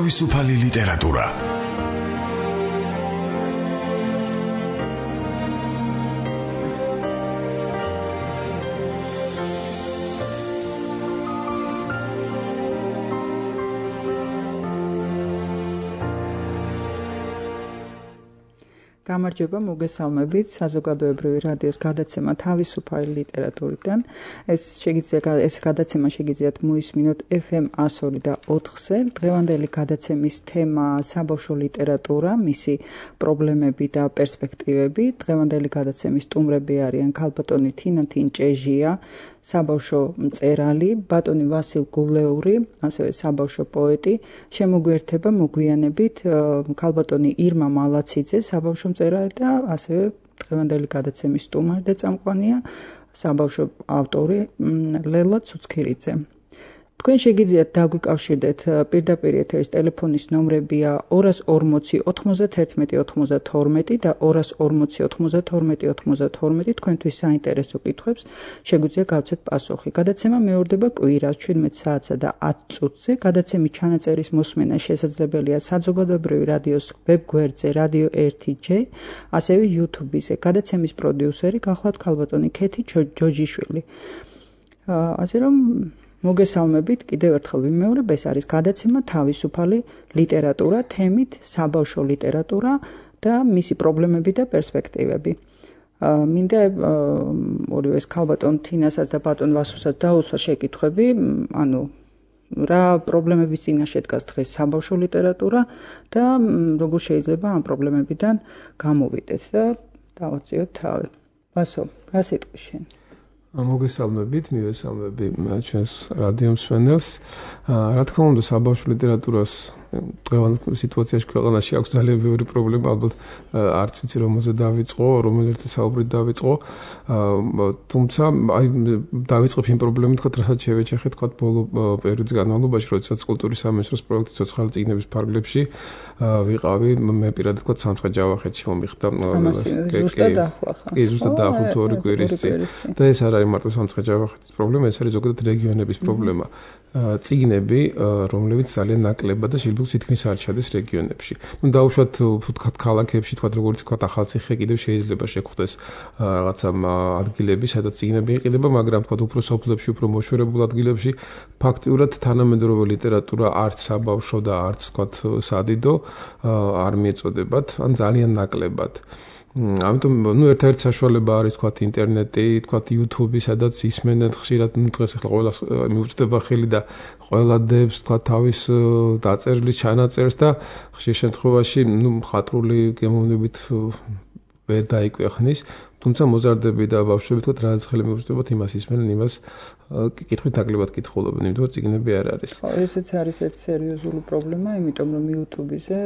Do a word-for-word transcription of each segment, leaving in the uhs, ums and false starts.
თავისუფალი ლიტერატურა. გამარჯობა, მოგესალმებით საზოგადოებრივი რადიოს გადაცემა თავისუფალი ლიტერატურიდან. ეს შეგიძლიათ ეს გადაცემა შეგიძლიათ მოისმინოთ ეფ ემ one oh two და ოთხზე. დღევანდელი გადაცემის თემა საბავშვო ლიტერატურა, მისი პრობლემები და პერსპექტივები. დღევანდელი გადაცემის სტუმრები არიან ქალბატონი თინა თინჭეჟია, საბავშვო მწერალი, ბატონი ვასილ გულეური, ასევე საბავშვო პოეტი. შემოგვიერთება მოგვიანებით ქალბატონი ირმა მალაციძე, საბავშვო მწერალი და ასევე დღევანდელი გადაცემის სტუმარი და წამყვანია საბავშვო ავტორი ლელა ცუცქირიძე. თქვენ შეგიძლიათ დაგვიკავშირდეთ პირდაპირ ეთერის ტელეფონის ნომრებია ორას ორმოცი ოთხმოცდათერთმეტი ოცდათორმეტი და ორას ორმოცი ოცდათორმეტი ოცდათორმეტი. თქვენთვის საინტერესო კითხვებს შეგვიძლია გავცეთ პასუხი. გადაცემა მეორდება კვირას ჩვიდმეტ საათსა და ათ წუთზე. გადაცემის ჩანაწერის მოსმენა შესაძლებელია საზოგადოებრივი რადიოს ვებგვერდზე რადიო ერთი ჯე, ასევე YouTube-ზე. გადაცემის პროდიუსერი გახლავთ ქალბატონი ქეთი ჯოჯიშვილი. ასე რომ მოგესალმებით, კიდევ ერთხელ ვიმეორებ, ეს არის გადაცემა თავისუფალი ლიტერატურა, თემით საბავშვო ლიტერატურა და მისი პრობლემები და პერსპექტივები. მინდა ორივე ქალბატონ თინასაც და ბატონ ვასილსაც დაუსვა შეკითხვები, ანუ რა პრობლემების წინაშე დგას დღეს საბავშვო ლიტერატურა და როგორ შეიძლება ამ პრობლემებიდან გამოვიდეთ და დავაწიოთ თავი. ვასო, რა სიტყვის შენ? მოგესალმებით, მივესალმები ჩვენს რადიო მსმენელს. რა თქმა უნდა, საბავშვო ლიტერატურას დღევანდელ სიტუაციაში ქვეყანაში აქვს ძალიან ბევრი პრობლემა, ალბათ არც ვიცი რომელზე დავიწყო, რომელერთა საუბრით დავიწყო. თუმცა აი დავიწყებ იმ პრობლემით, თქვა, რასაც შევეჩეხე, თქვა, ბოლო პერიოდის განმავლობაში, როდესაც კულტურის სამინისტროს პროექტი ცოცხალი წიგნების ფარგლებში ვიყავი, მე პირადად თქვა სამცხე ჯავახეთში მომიხდა. ზუსტად ახლა ხარ. კი, ზუსტად დაახლოებით თუ ორი კვირის წინ. და ეს არ არის მარტო სამცხე ჯავახეთის პრობლემა, ეს არის ზოგადად რეგიონების პრობლემა. წიგნები, რომლებიც ძალიან ნაკლებად და შეიძლება თითქმის არ ჩადეს რეგიონებში. ნუ დაუშვათ ვთქვათ ქალაქებში, თქვათ როგორც თქვათ ახალციხე კიდევ შეიძლება შეხვდეს რაღაცა ადგილები, სადაც წიგნები იყიდება, მაგრამ თქვათ უფრო სოფლებში, უფრო მოშორებულ ადგილებში ფაქტიურად თანამედროვე ლიტერატურა არც საბავშვო და არც თქვათ სადიდო არ მიეწოდებათ, ან ძალიან ნაკლებად. ამიტომ ნუ ერთ-ერთი საშუალება არის თქვათ ინტერნეტი, თქვათ YouTube, სადაც ისმენენ ხშირად, ნუ დღეს ახლა ყველას მიუწვდება ხელი და ყველა დებს თქვათ თავის დაწერილის ჩანაწერს და ხშირ შემთხვევაში ნუ მხატვრული გემოვნებით ვერ დაიკვეხნის, თუმცა მოზარდები და ბავშვები თქვათ რაღაც ხელი მიუწვდებათ იმას ისმენენ, იმას კითხვით ნაკლებად კითხულობენ, იმიტომ წიგნები არ არის. ხო, ესეც არის ერთი სერიოზული პრობლემა, იმიტომ რომ YouTube-ზე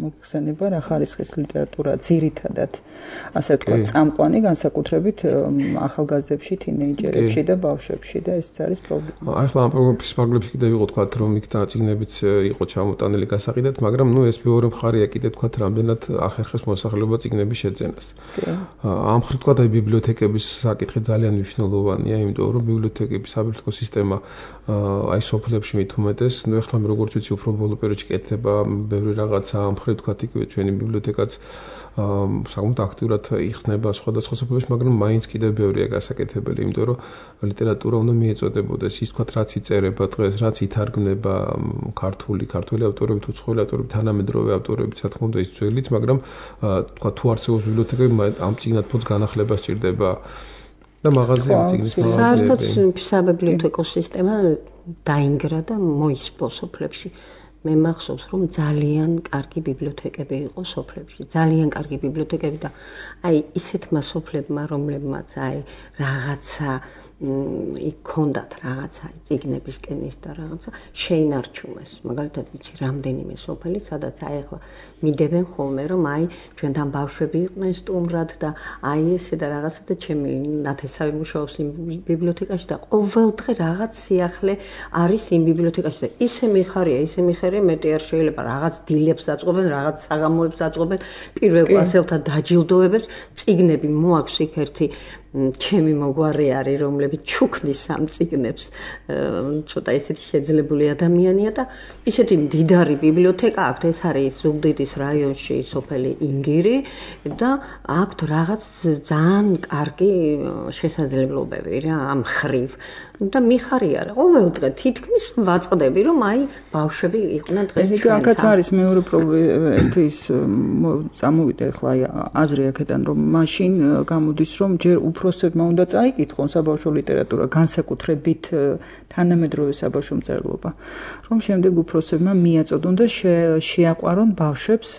მოხსენება რა ხარისხის ლიტერატურა ძირითადად, ასე ვთქვათ, წამყვანი განსაკუთრებით ახალგაზრდებში, თინეიჯერებში და ბავშვებში და ესეც არის პრობლემა. ახლა ამ პრობლემის ფარგლებში კიდევ იყო თქვათ, რომ იქ და წიგნებიც იყო ჩამოტანილი გასაყიდად, მაგრამ ნუ ეს მეორე მხარეა კიდე თქვათ, რამდენად ახერხებს მოსახლეობა წიგნების შეძენას. ამ მხრივ თქვათ, აი ბიბლიოთეკების საკითხი ძალიან მნიშვნელოვანია, იმიტომ რომ ბიბლიოთეკა საბილეთო სისტემა აი სოფლებში მით უმეტეს, ნუ ახლა მე როგორც ვიცი, უფრო ბოლო პერიოდში კეთდება ბევრი რაღაცა, ამ მხრივ თქვათ, იგივე ჩვენი ბიბლიოთეკაც საკმაოდ აქტიურად იხსნება სხვადასხვა სოფლებში, მაგრამ მაინც კიდევ ბევრია გასაკეთებელი, იმიტომ რომ ლიტერატურა უნდა მიეწოდებოდეს ის თქვათ, რაც იწერება დღეს, რაც ითარგმნება ქართული, ქართული ავტორები თუ უცხოელი ავტორები, თანამედროვე ავტორები, რა თქმა უნდა, ის ძველიც, მაგრამ თქვათ, თუ არსებობს ბიბლიოთეკები, ამ წიგნად ფონდს განახლება სჭირდება. და მაღაზიები წიგნის მაღაზიები. საერთოდ საბიბლიოთეკო სისტემა დაინგრა და მოისპო სოფლებში. მე მახსოვს, რომ ძალიან კარგი ბიბლიოთეკები იყო სოფლებში, ძალიან კარგი ბიბლიოთეკები და აი ისეთმა სოფლებმა, რომლებმაც აი რაღაცა იქ ქონდათ რაღაცა წიგნების კენის და რაღაცა შეინარჩუნეს. მაგალითად ვიცი რამდენიმე სოფელი, სადაც აი ახლა მიდევენ ხოლმე, რომ აი ჩვენთან ბავშვები იყვნენ სტუმრად და აი ესე და რაღაცა და ჩემი ნათესავი მუშაობს იმ ბიბლიოთეკაში და ყოველდღე რაღაც სიახლე არის იმ ბიბლიოთეკაში და ისე მიხარია, ისე მიხარია, მეტი არ შეიძლება რაღაც დილებს აწყობენ, რაღაც საღამოებს აწყობენ, პირველ კლასელთა დაჯილდოებებს, წიგნები მოაქვს იქ ერთი ჩემი მოგვარი არის, რომლებიც ჩუქნის ამ წიგნებს, ცოტა ისეთი შეძლებული ადამიანია და ისეთი მდიდარი ბიბლიოთეკა აქვთ, ეს არის ზუგდიდის რაიონში სოფელი ინგირი და აქვთ რაღაც ძალიან კარგი შესაძლებლობები რა ამ ხრივ. და მიხარია რა. ყოველ დღე თითქმის ვაწყდები, რომ აი ბავშვები იყვნენ დღეს ჩვენთან. ეს აქაც არის მეორე პრობლემა ის წამოვიდა ახლა აი აზრი აქედან რომ მაშინ გამოდის რომ ჯერ უფროსებმა უნდა წაიკითხონ საბავშვო ლიტერატურა განსაკუთრებით თანამედროვე საბავშვო მწერლობა, რომ შემდეგ უფროსებმა მიაწოდონ და შეაყვარონ ბავშვებს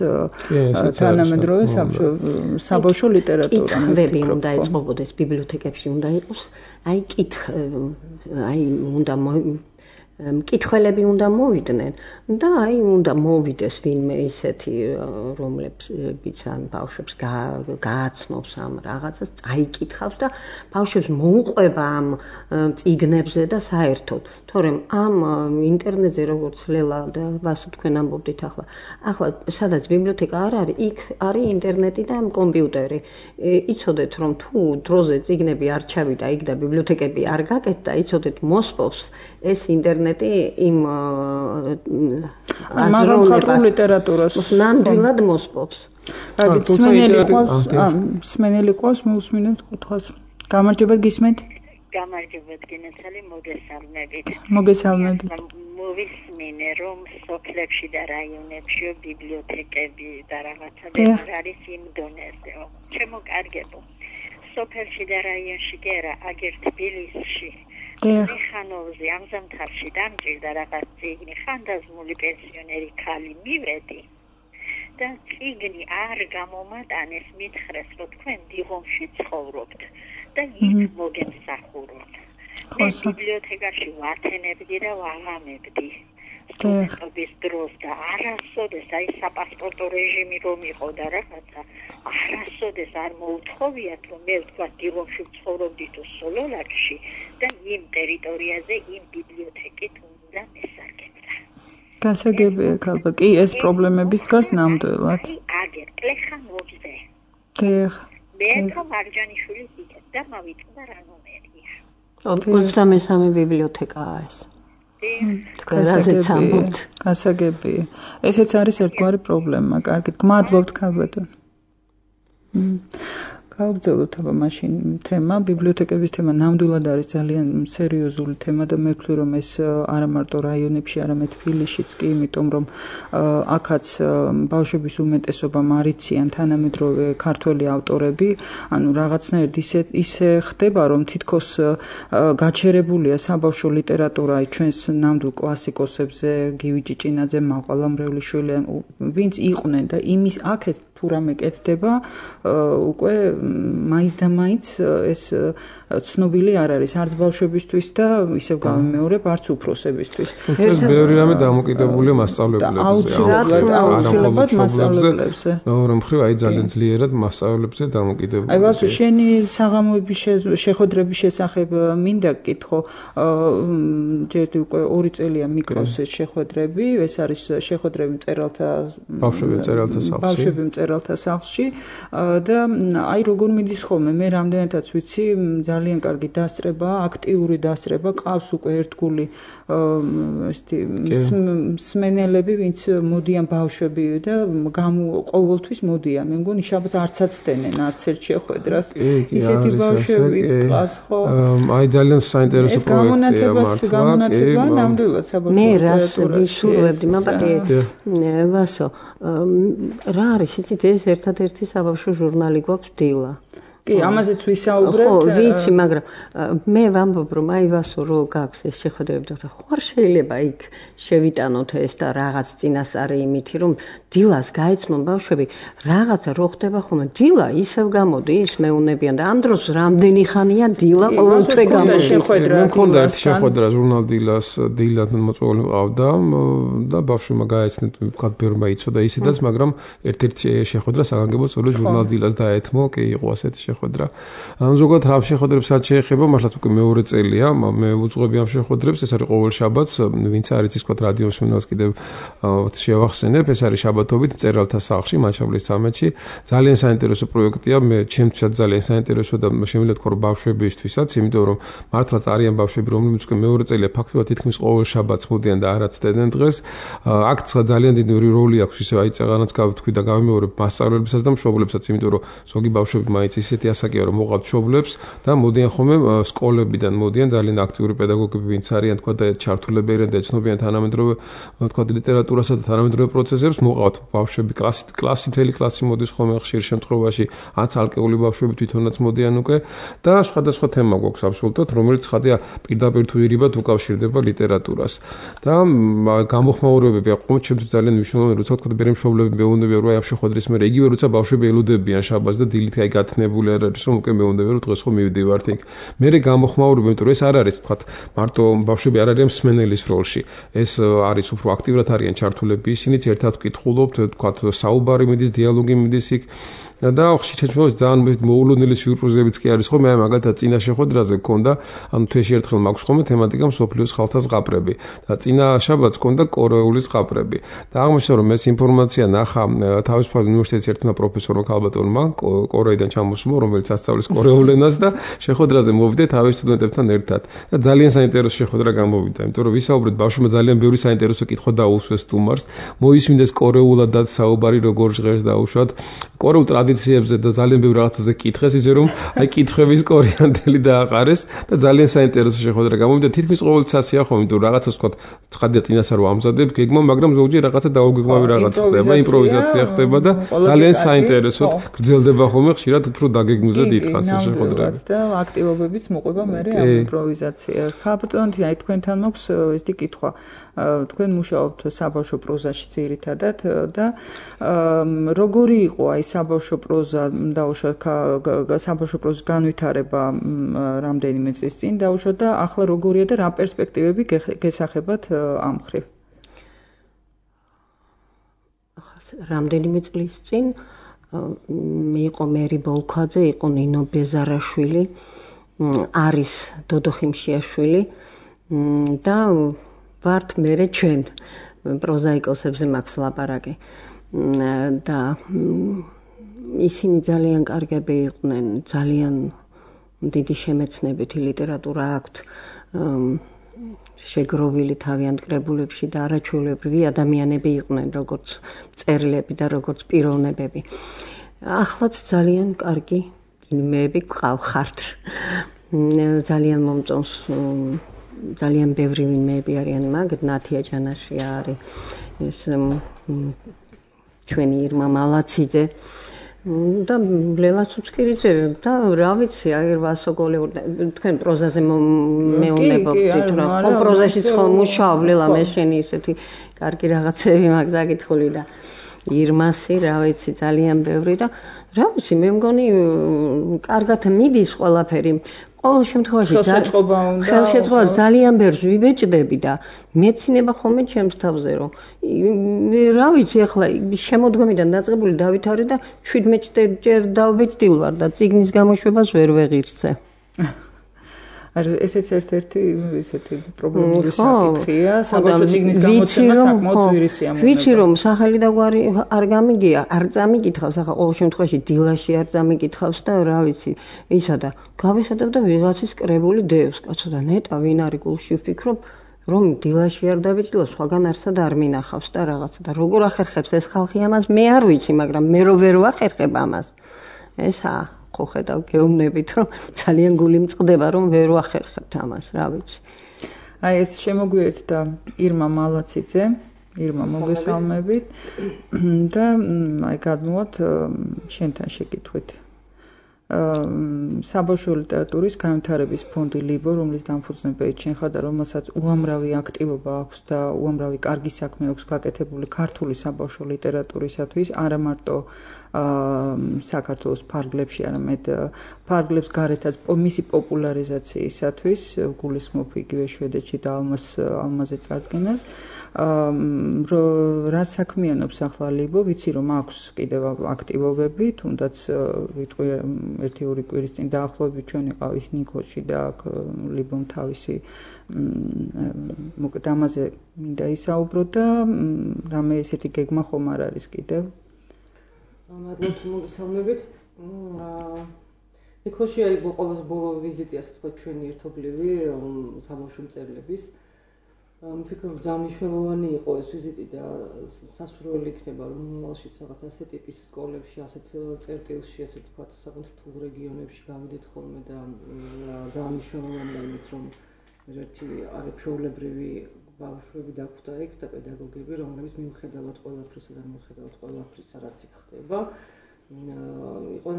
თანამედროვე საბავშვო ლიტერატურა. კითხვები უნდა ეწყობოდეს ბიბლიოთეკებში, უნდა იყოს აი კითხ აი უნდა მკითხველები უნდა მოვიდნენ და აი უნდა მოვიდეს ვინმე ისეთი რომლებიც ან ბავშვებს გააცნობს ამ რაღაცას, წაიკითხავს და ბავშვებს მოუყვება ამ წიგნებზე და საერთოდ, თორემ ამ ინტერნეტზე როგორც ლელა და ვასო თქვენ ამბობდით ახლა, ახლა სადაც ბიბლიოთეკა არ არის, იქ არის ინტერნეტი და კომპიუტერი. იცოდეთ რომ თუ დროზე წიგნები არ ჩავიდა იქ და ბიბლიოთეკები არ გაკეთდა, იცოდეთ მოსპობს ეს ინტერნეტი იმ მაგრამ ხალხურ ლიტერატურას ნამდვილად მოსპობს. სმენელი ყავს, სმენელი ყავს მოусმინეთ კითხვას. გამარჯობა გისმენთ? გამარჯობა გენაცალი მოგესალმებით. მოგესალმებით. მოვისმინე რომ სოფლებში და რაიონებში ბიბლიოთეკები და რაღაცა ვერ არის იმ დონეზე. ჩემო კარგებო. სოფელში და რაიონში კი არა, აგერ თბილისში მიხანოვზე ამ ზამთარში დამჭირდა რაღაც წიგნი, ხანდაზმული პენსიონერი ქალი მივედი და წიგნი არ გამომატანეს, მითხრეს რომ თქვენ დიღომში ცხოვრობთ და იქ მოგემსახუროთ. მე ბიბლიოთეკაში ვათენებდი და ვაღამებდი სტუდენტობის დროს და არასოდეს აი საპასპორტო რეჟიმი რომ იყო და რაღაცა არასოდეს არ მოუთხოვიათ რომ მე თქვა დიღომში ვცხოვრობდი თუ სოლოლაკში და იმ ტერიტორიაზე იმ ბიბლიოთეკით უნდა მესარგებდა. გასაგებია ხალხო, კი ეს პრობლემების დგას ნამდვილად. აგერ პლეხანოვზე. დიახ. მე თო მარჯანიშვილი იქეთ და მავიწყდა რა ნომერია. ოცდამესამე ბიბლიოთეკაა ეს. გასაგებია. ესეც არის ერთგვარი პრობლემა. კარგით, გმადლობთ ქალბატონ. გავგრძელოთ აბა მაშინ თემა, ბიბლიოთეკების თემა ნამდვილად არის ძალიან სერიოზული თემა და მე ვფიქრობ რომ ეს არა მარტო რაიონებში, არამედ თბილისშიც კი, იმიტომ რომ აქაც ბავშვების უმეტესობამ არიციან თანამედროვე ქართველი ავტორები, ანუ რაღაცნაირად ისე ისე ხდება რომ თითქოს გაჩერებულია საბავშვო ლიტერატურა ჩვენს ნამდვილ კლასიკოსებზე, გივი ჭიჭინაძე, მაყვალა მრევლიშვილი, ვინც იყვნენ და იმის აქეთ თუ რამე კეთდება, უკვე მაინც და მაინც ეს ცნობილი არ არის არც ბავშვებისთვის და ისევ გამიმეორებ არც უფროსებისთვის. ეს ბევრი რამე დამოკიდებულია მასწავლებლებზე. აუცილებლად, აუცილებლად მასწავლებლებზე. მეორე მხრივ აი ძალიან ძლიერად მასწავლებლებზე დამოკიდებულია. აი ვასო, შენი საღამოების შეხვედრების შესახებ მინდა გკითხო, ჯერ უკვე ორი წელია მიკროს ეს შეხვედრები, ეს არის შეხვედრები მწერალთა ბავშვები მწერალთა სახლში. ბავშვები მწერალთა სახლში და აი როგორ მიდის ხოლმე, მე რამდენადაც ვიცი, ძალიან კარგი დასწრება, აქტიური დასწრება, ყავს უკვე ერთგული ესეთი მსმენელები, ვინც მოდიან ბავშვები და ყოველთვის მოდიან. მე მგონი შაბათს არც აცდენენ, არც ერთ შეხვედრას. ისეთი ბავშვებიც ყავს, ხო? აი ძალიან საინტერესო პროექტია მართლა. გამონათება ნამდვილად საბავშვო მე რას ვისურვებდი, მაბატე ვასო, რა არის იცით ეს ერთადერთი საბავშვო ჟურნალი გვაქვს დილა. კი, ამაზეც ვისაუბრებთ. ხო, ვიცი, მაგრამ მე ვამბობ, რომ აი ვასო რო გაქვს ეს შეხვედრები და ხო არ შეიძლება იქ შევიტანოთ ეს და რაღაც წინასწარი იმითი, რომ დილას გაეცნონ ბავშვები, რაღაცა რო ხდება ხოლმე, დილა ისევ გამოდის, მეუნებიან და ამ დროს რამდენი ხანია დილა ყოველთვე გამოდის. მე მქონდა ერთი შეხვედრა ჟურნალ დილას, დილად მოწვეული მყავდა და ბავშვებმა გაეცნეთ, ვთქვათ, ბევრმა იცოდა ისედაც, მაგრამ ერთ-ერთი შეხვედრა საგანგებო სწორედ ჟურნალ დილას დაეთმო, კი იყო ასეთი შეხვედრა. ანუ ზოგადად ამ შეხვედრებს რაც შეეხება, მართლაც უკვე მეორე წელია, მე ვუძღვები ამ შეხვედრებს, ეს არის ყოველ შაბათს, ვინც არის ის თქვა რადიო მსმენელს კიდევ შევახსენებ, ეს არის შაბათობით მწერალთა სახლში, მაჩაბლის სამეთში. ძალიან საინტერესო პროექტია, მე ჩემთვისაც ძალიან საინტერესო და შემიძლია თქვა რომ ბავშვებისთვისაც, იმიტომ რომ მართლაც არიან ბავშვები, რომლებიც უკვე მეორე წელია ფაქტობრივად თითქმის ყოველ შაბათს მოდიან და არაც დედენ დღეს. აქ ძალიან დიდი როლი აქვს ისე აი წეღანაც გავთქვი და გავიმეორებ მასწავლებლებსაც და მშობლებსაც, იმიტომ რომ ზოგი ბავშვები მაინც ისეთი ასაკია რომ მოყავთ მშობლებს და მოდიან ხოლმე სკოლებიდან მოდიან ძალიან აქტიური პედაგოგები, ვინც არიან თქვა და ჩართულებიან და ეცნობიან თანამედროვე თქვა ლიტერატურასა და თანამედროვე პროცესებს, მოყავთ ბავშვები კლასი კლასი მთელი კლასი მოდის ხოლმე ხშირ შემთხვევაში, ან ცალკეული ბავშვები თვითონაც მოდიან უკვე და სხვადასხვა თემა გვაქვს აბსოლუტურად, რომელიც ხადია პირდაპირ თუ ირიბად უკავშირდება ლიტერატურას. და გამოხმაურებები აყო ჩემთვის ძალიან მნიშვნელოვანი, როცა თქვა ბერემ მშობლები მეუბნებიან რომ აი ამ შეხვედრის მერე იგივე როცა ბავშვები ელოდებიან შაბათს და დილით აი გათნებული არ არის რომ უკვე მეუბნებიან რომ დღეს ხო მივდივართ იქ. მერე გამოხმაურებები, იმიტომ რომ ეს არ არის თქვა მარტო ბავშვები არ არიან მსმენელის როლში. ეს არის უფრო აქტიურად არიან ჩართულები, ისინიც ერთად ვკითხულობთ, თქვა საუბარი მიდის, დიალოგი მიდის იქ. და ხშირ შემთხვევაში ძალიან მოულოდნელი სიურპრიზებიც კი არის ხოლმე, აი მაგალითად წინა შეხვედრაზე გქონდა, ანუ თვეში ერთხელ მაქვს ხოლმე თემატიკა მსოფლიოს ხალხთა ზღაპრები და წინა შაბათს გქონდა კორეული ზღაპრები. და აღმოჩნდა რომ ეს ინფორმაცია ნახა თავისუფალი უნივერსიტეტის ერთმა პროფესორმა ქალბატონმა კორეიდან ჩამოსულა, რომელიც ასწავლის კორეულ ენას და შეხვედრაზე მოვიდა თავის სტუდენტებთან ერთად. და ძალიან საინტერესო შეხვედრა გამოვიდა, იმიტომ რომ ვისაუბრეთ ბავშვებმა ძალიან ბევრი საინტერესო კითხვა დაუსვეს სტუმარს, მოისმინეს კორეულად და საუბარი როგორ ჟღერს დაუშვათ. კორეულ ტრადიციებზე და ძალიან ბევრ რაღაცაზე კითხეს, ისე რომ აი კითხების კორეანდელი დააყარეს და ძალიან საინტერესო შეხვედრა გამოვიდა. თითქმის ყოველთვის ასეა ხოლმე, იმიტომ რომ რაღაცას თქვა ცხადია წინასა რომ ამზადებ გეგმა, მაგრამ ზოგჯერ რაღაცა დაუგეგმავი რაღაც ხდება, იმპროვიზაცია ხდება და ძალიან საინტერესოდ გრძელდება ხოლმე, ხშირად უფრო დაგეგმვზე დიდხანს ეს შეხვედრები. და აქტივობებიც მოყვება მერე ამ იმპროვიზაციას. ხალბატონი, აი თქვენთან მაქვს ესეთი კითხვა. თქვენ მუშაობთ საბავშვო პროზაში ძირითადად და როგორი იყო აი საბავშვო პროზა დაუშვათ საბავშვო პროზის განვითარება რამდენიმე წლის წინ დაუშვათ და ახლა როგორია და რა პერსპექტივები გესახებათ ამ მხრივ? რამდენიმე წლის წინ იყო მერი ბოლქვაძე, იყო ნინო ბეზარაშვილი, არის დოდო ხიმშიაშვილი და ვართ მერე ჩვენ პროზაიკოსებზე მაქვს ლაპარაკი და ისინი ძალიან კარგები იყვნენ, ძალიან დიდი შემეცნებითი ლიტერატურა აქვთ, შეგროვილი თავიანთ კრებულებში და არაჩვეულებრივი ადამიანები იყვნენ, როგორც მწერლები და როგორც პიროვნებები. ახლაც ძალიან კარგი კინოები გყავხართ. ძალიან მომწონს ძალიან ბევრი ვინმეები არიან მაგ, ნათია ჯანაშია არის, ეს ჩვენი ირმა მალაციძე და ლელა ცუცკირიძე და რა ვიცი, აი ვასოგოლეურ თქვენ პროზაზე მეუნებობთ, რა ხო პროზაშიც ხო მუშაობ, ლელა მე შენი ისეთი კარგი რაღაცები მაგ ზაკითხული და ირმასი, რა ვიცი, ძალიან ბევრი და რა ვიცი, მე მგონი კარგად მიდის ყველაფერი. ყოველ შემთხვევაში ხელშეწყობა ძალიან ბევრს ვიბეჭდები და მეცინება ხოლმე ჩემს თავზე რომ რა ვიცი ახლა შემოდგომიდან დაწყებული დავითარე და შვიდმეტ ჯერ დავბეჭდილ ვარ და წიგნის გამოშვებას ვერ ვეღირსე. არ ესეც ერთ-ერთი ესეთი პრობლემური საკითხია, საბავშვო წიგნის გამოცემა საკმაოდ ძვირი სიამოვნება. ვიცი რომ სახელი და გვარი არ გამიგია, არ წამიკითხავს, ახლა ყოველ შემთხვევაში დილაში არ წამიკითხავს და რა ვიცი, ისა და გავიხედავ და ვიღაცის კრებული დევს, კაცო და ნეტა ვინ არის გულში ვფიქრობ, რომ დილაში არ დავიჭდილო, სხვაგან არსად არ მინახავს და რაღაცა და როგორ ახერხებს ეს ხალხი ამას, მე არ ვიცი, მაგრამ მე რო ვერ ვახერხებ ამას. ესაა ხო ხედავ გეუბნებით რომ ძალიან გული მწყდება რომ ვერ ვახერხებთ ამას, რა ვიცი. აი ეს შემოგვიერთდა ირმა მალაციძე, ირმა მოგესალმებით და აი გადმოვათ შენთან შეკითხვით. საბავშვო ლიტერატურის განვითარების ფონდი ლიბო, რომლის დამფუძნებელი ჩვენ ხარ და რომელსაც უამრავი აქტივობა აქვს და უამრავი კარგი საქმე აქვს გაკეთებული ქართული საბავშვო ლიტერატურისათვის, არა მარტო საქართველოს ფარგლებში, არამედ ფარგლებს გარეთაც მისი პოპულარიზაციისათვის გულისხმობ იგივე შვედეთში და ალმას ალმაზე წარდგენას. რა საქმიანობს ახლა ლიბო, ვიცი რომ აქვს კიდევ აქტივობები, თუნდაც ვიტყვი ერთი ორი კვირის წინ დაახლოებით ჩვენ ვიყავით ნიქოში და აქ ლიბომ თავისი მოკეთ ამაზე მინდა ისაუბრო და რამე ესეთი გეგმა ხომ არ არის კიდევ. მადლობთ მოგესალმებით. ნიქოში აი ყველაზე ბოლო ვიზიტი ასე თქვა ჩვენი ერთობლივი საბავშვო მწერლების. მიფიქრობ ძალიან მნიშვნელოვანი იყო ეს ვიზიტი და სასურველი იქნება რომ მომავალშიც რაღაც ასე ტიპის სკოლებში, ასეთ წერტილში, ასე ვთქვათ, საკუთარ რთულ რეგიონებში გავიდეთ ხოლმე და ძალიან მნიშვნელოვანია იმით რომ ერთი არაჩვეულებრივი ბავშვები დაგვხვდა იქ და პედაგოგები, რომლებიც მიუხედავად ყველაფრისა და მიუხედავად ყველაფრისა, რაც იქ ხდება, იყო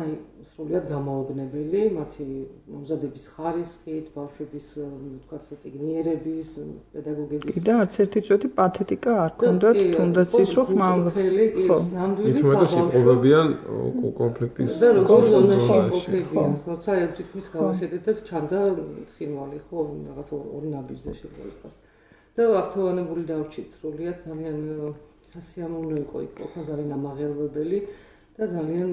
სრულიად გამაოგნებელი მათი მომზადების ხარისხით, ბავშვების ვთქვათ საწიგნიერების, პედაგოგების და არც ერთი წუთი პათეტიკა არ ქონდათ, თუნდაც ის რომ ხმამბელი, ხო, ნამდვილი სიყვარულიან კონფლიქტის და როგორ ზონაში იმყოფებიან, ხო, საერთოდ თითქმის გავახედეთ და ჩანდა ცხინვალი, ხო, რაღაც ორ ნაბიჯზე შეიძლება იყოს. და აქტუალებული დავრჩით სრულიად ძალიან სასიამოვნო იყო იქ ყოფნა ძალიან ამაღელვებელი და ძალიან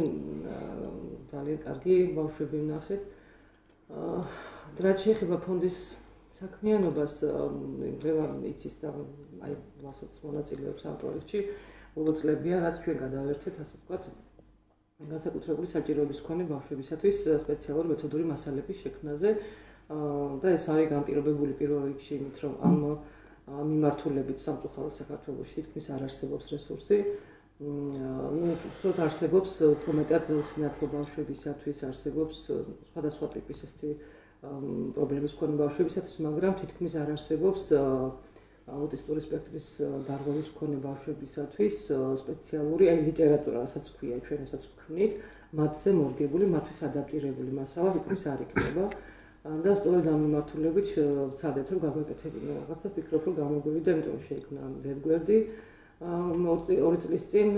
ძალიან კარგი ბავშვები ვნახეთ. რაც შეეხება ფონდის საქმიანობას, ყველა იცის და აი რასაც მონაწილეობს ამ პროექტში, უწლებია, რაც ჩვენ გადავერთეთ, ასე ვთქვათ, განსაკუთრებული საჭიროების მქონე ბავშვებისათვის სპეციალური მეთოდური მასალების შექმნაზე და ეს არის განპირობებული პირველ რიგში იმით, რომ ამ მიმართულებით სამწუხაროდ საქართველოში თითქმის არ არსებობს რესურსი. ну, სულ არსებობს უფრო მეტად სინათლე ბავშვებისათვის, არსებობს სხვადასხვა ტიპის ესეთი პრობლემის მქონე ბავშვებისათვის, მაგრამ თითქმის არ არსებობს აუტისტური სპექტრის დარღვევის მქონე ბავშვებისათვის სპეციალური აი ლიტერატურა, რასაც ქვია, ჩვენ ესაც ვქმნით, მათზე მორგებული, მათთვის ადაპტირებული მასალა თითქმის არ იქნება. და სწორედ ამ მიმართულებით ვცადეთ რომ გავაკეთებინო რაღაც და ვფიქრობ რომ გამოგვივიდა, იმიტომ რომ შეიქმნა ვერგვერდი ორი წლის წინ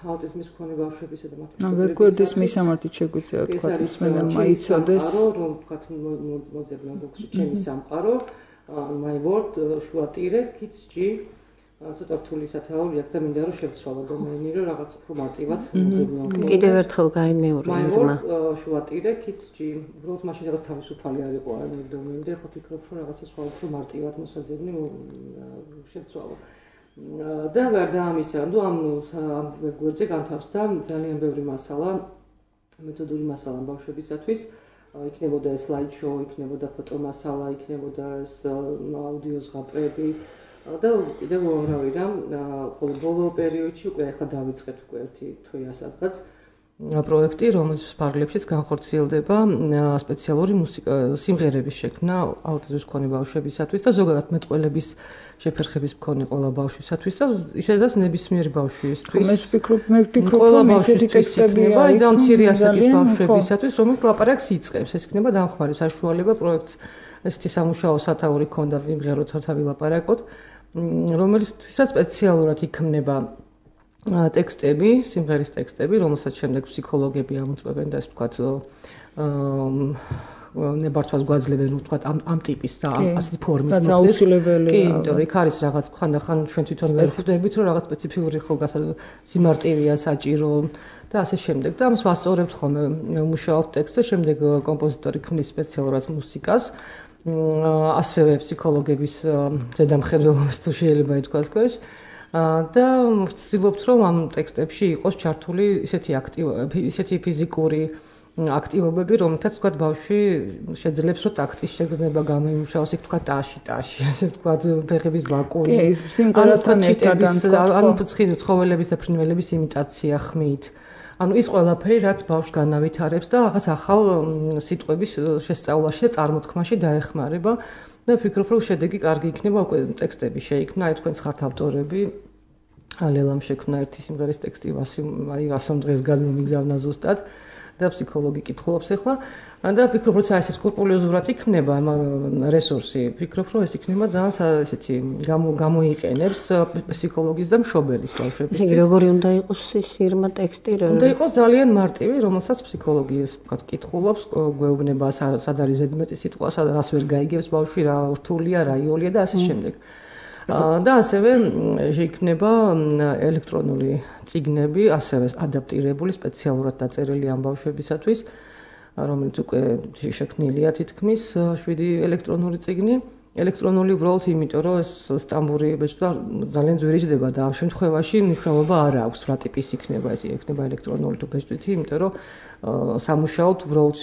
აუტიზმის მქონე ბავშვებისა და მათი მშობლების ვერგვერდის მისამართით შეგვიძლია თქვა ისმენა მაიცოდეს რომ თქვა მოძებნა ბოქსში ჩემი სამყარო my world შუა ტირე kids g ცოტა რთული სათაური აქვს და მინდა რომ შევცვალო დომენი რომ რაღაც უფრო მარტივად მოძებნო. კიდევ ერთხელ გაიმეორე ირმა. შუა ტირე kids g უბრალოდ მაშინ რაღაც თავისუფალი არ იყო არანაირი დომენი და ხო ფიქრობ რომ რაღაცა სხვა უფრო მარტივად მოსაძებნი შევცვალო. და ვერ დაამისა, ნუ ამ ვერგვერდზე განთავსდა ძალიან ბევრი მასალა, მეთოდური მასალა ბავშვებისათვის. იქნებოდა slide show, იქნებოდა ფოტომასალა, იქნებოდა აუდიო ზღაპრები. და კიდევ უამრავი რამ, ხოლო ბოლო პერიოდში უკვე ახლა დავიწყეთ უკვე ერთი თვეა სადღაც პროექტი, რომელის ფარგლებშიც განხორციელდება სპეციალური მუსიკა სიმღერების შექმნა აუტიზმის მქონე ბავშვებისათვის და ზოგადად მეტყველების შეფერხების მქონე ყველა ბავშვისათვის და ისედაც ნებისმიერი ბავშვისთვის. მე ვფიქრობ, მე ვფიქრობ, რომ ესეთი ტექსტებია აი ძალიან მცირე ასაკის ბავშვებისათვის, რომელიც ლაპარაკს იწყებს. ეს იქნება დამხმარე საშუალება პროექტს ესეთი სამუშაო სათაური ქონდა ვიმღეროთ თავი ლაპარაკოთ. რომელიცთვისაც სპეციალურად იქმნება ტექსტები, სიმღერის ტექსტები, რომელსაც შემდეგ ფსიქოლოგები ამოწმებენ და ეს ვთქვათ ნებართვას გვაძლევენ, ვთქვათ ამ ამ ტიპის და ასეთი ფორმით მოხდეს. რაც აუცილებელია. კი, იმიტომ რომ იქ არის რაღაც ხანდახან ჩვენ თვითონ ვერ ხვდებით, რომ რაღაც სპეციფიური ხოლმე სიმარტივეა საჭირო და ასე შემდეგ. და ამას ვასწორებთ ხოლმე მუშაობთ ტექსტზე, შემდეგ კომპოზიტორი ქმნის სპეციალურად მუსიკას. ასევე ფსიქოლოგების ზედამხედველობის თუ შეიძლება ითქვას ქვეშ და ვცდილობთ რომ ამ ტექსტებში იყოს ჩართული ისეთი აქტივობები, ისეთი ფიზიკური აქტივობები, რომელთაც ვთქვათ ბავშვი შეძლებს რომ ტაქტის შეგრძნება გამოიმუშაოს, იქ ვთქვათ ტაში, ტაში, ასე ვთქვათ ფეხების ბაკუნი. კი, სიმღერასთან ერთად ანუ ფუძხის ცხოველების და ფრინველების იმიტაცია ხმით. ანუ ის ყველაფერი რაც ბავშვს განავითარებს და რაღაც ახალ სიტყვების შესწავლაში და წარმოთქმაში დაეხმარება და ვფიქრობ რომ შედეგი კარგი იქნება, უკვე ტექსტები შეიქმნა, აი თქვენც ხართ ავტორები. ალელამ შექმნა ერთი სიმღერის ტექსტი, აი ასომ დღეს გადმომიგზავნა ზუსტად. და ფსიქოლოგი კითხულობს ახლა და ვფიქრობ, რომ ეს სკრუპულოზურად იქნება რესურსი. ვფიქრობ, რომ ეს იქნება ძალიან ესეთი გამოიყენებს ფსიქოლოგის და მშობელის ბავშვების. ესე იგი, როგორი უნდა იყოს ის ირმა ტექსტი? უნდა იყოს ძალიან მარტივი, რომელსაც ფსიქოლოგი ვთქვათ, კითხულობს, გვეუბნება სად არის ზედმეტი სიტყვა, სად რას ვერ გაიგებს ბავშვი, რა რთულია, რა იოლია და ასე შემდეგ. და ასევე შეიქმნება ელექტრონული წიგნები, ასევე ადაპტირებული, სპეციალურად დაწერილი ამ ბავშვებისათვის, რომელიც უკვე შექმნილია თითქმის შვიდი ელექტრონული წიგნი. ელექტრონული უბრალოდ იმიტომ, რომ ეს სტამბური ბეჭდვა ძალიან ძვირიჯდება და ამ შემთხვევაში მნიშვნელობა არ აქვს, რა ტიპის იქნება ეს, იქნება ელექტრონული თუ ბეჭდვითი, იმიტომ რომ სამუშაოდ უბრალოდ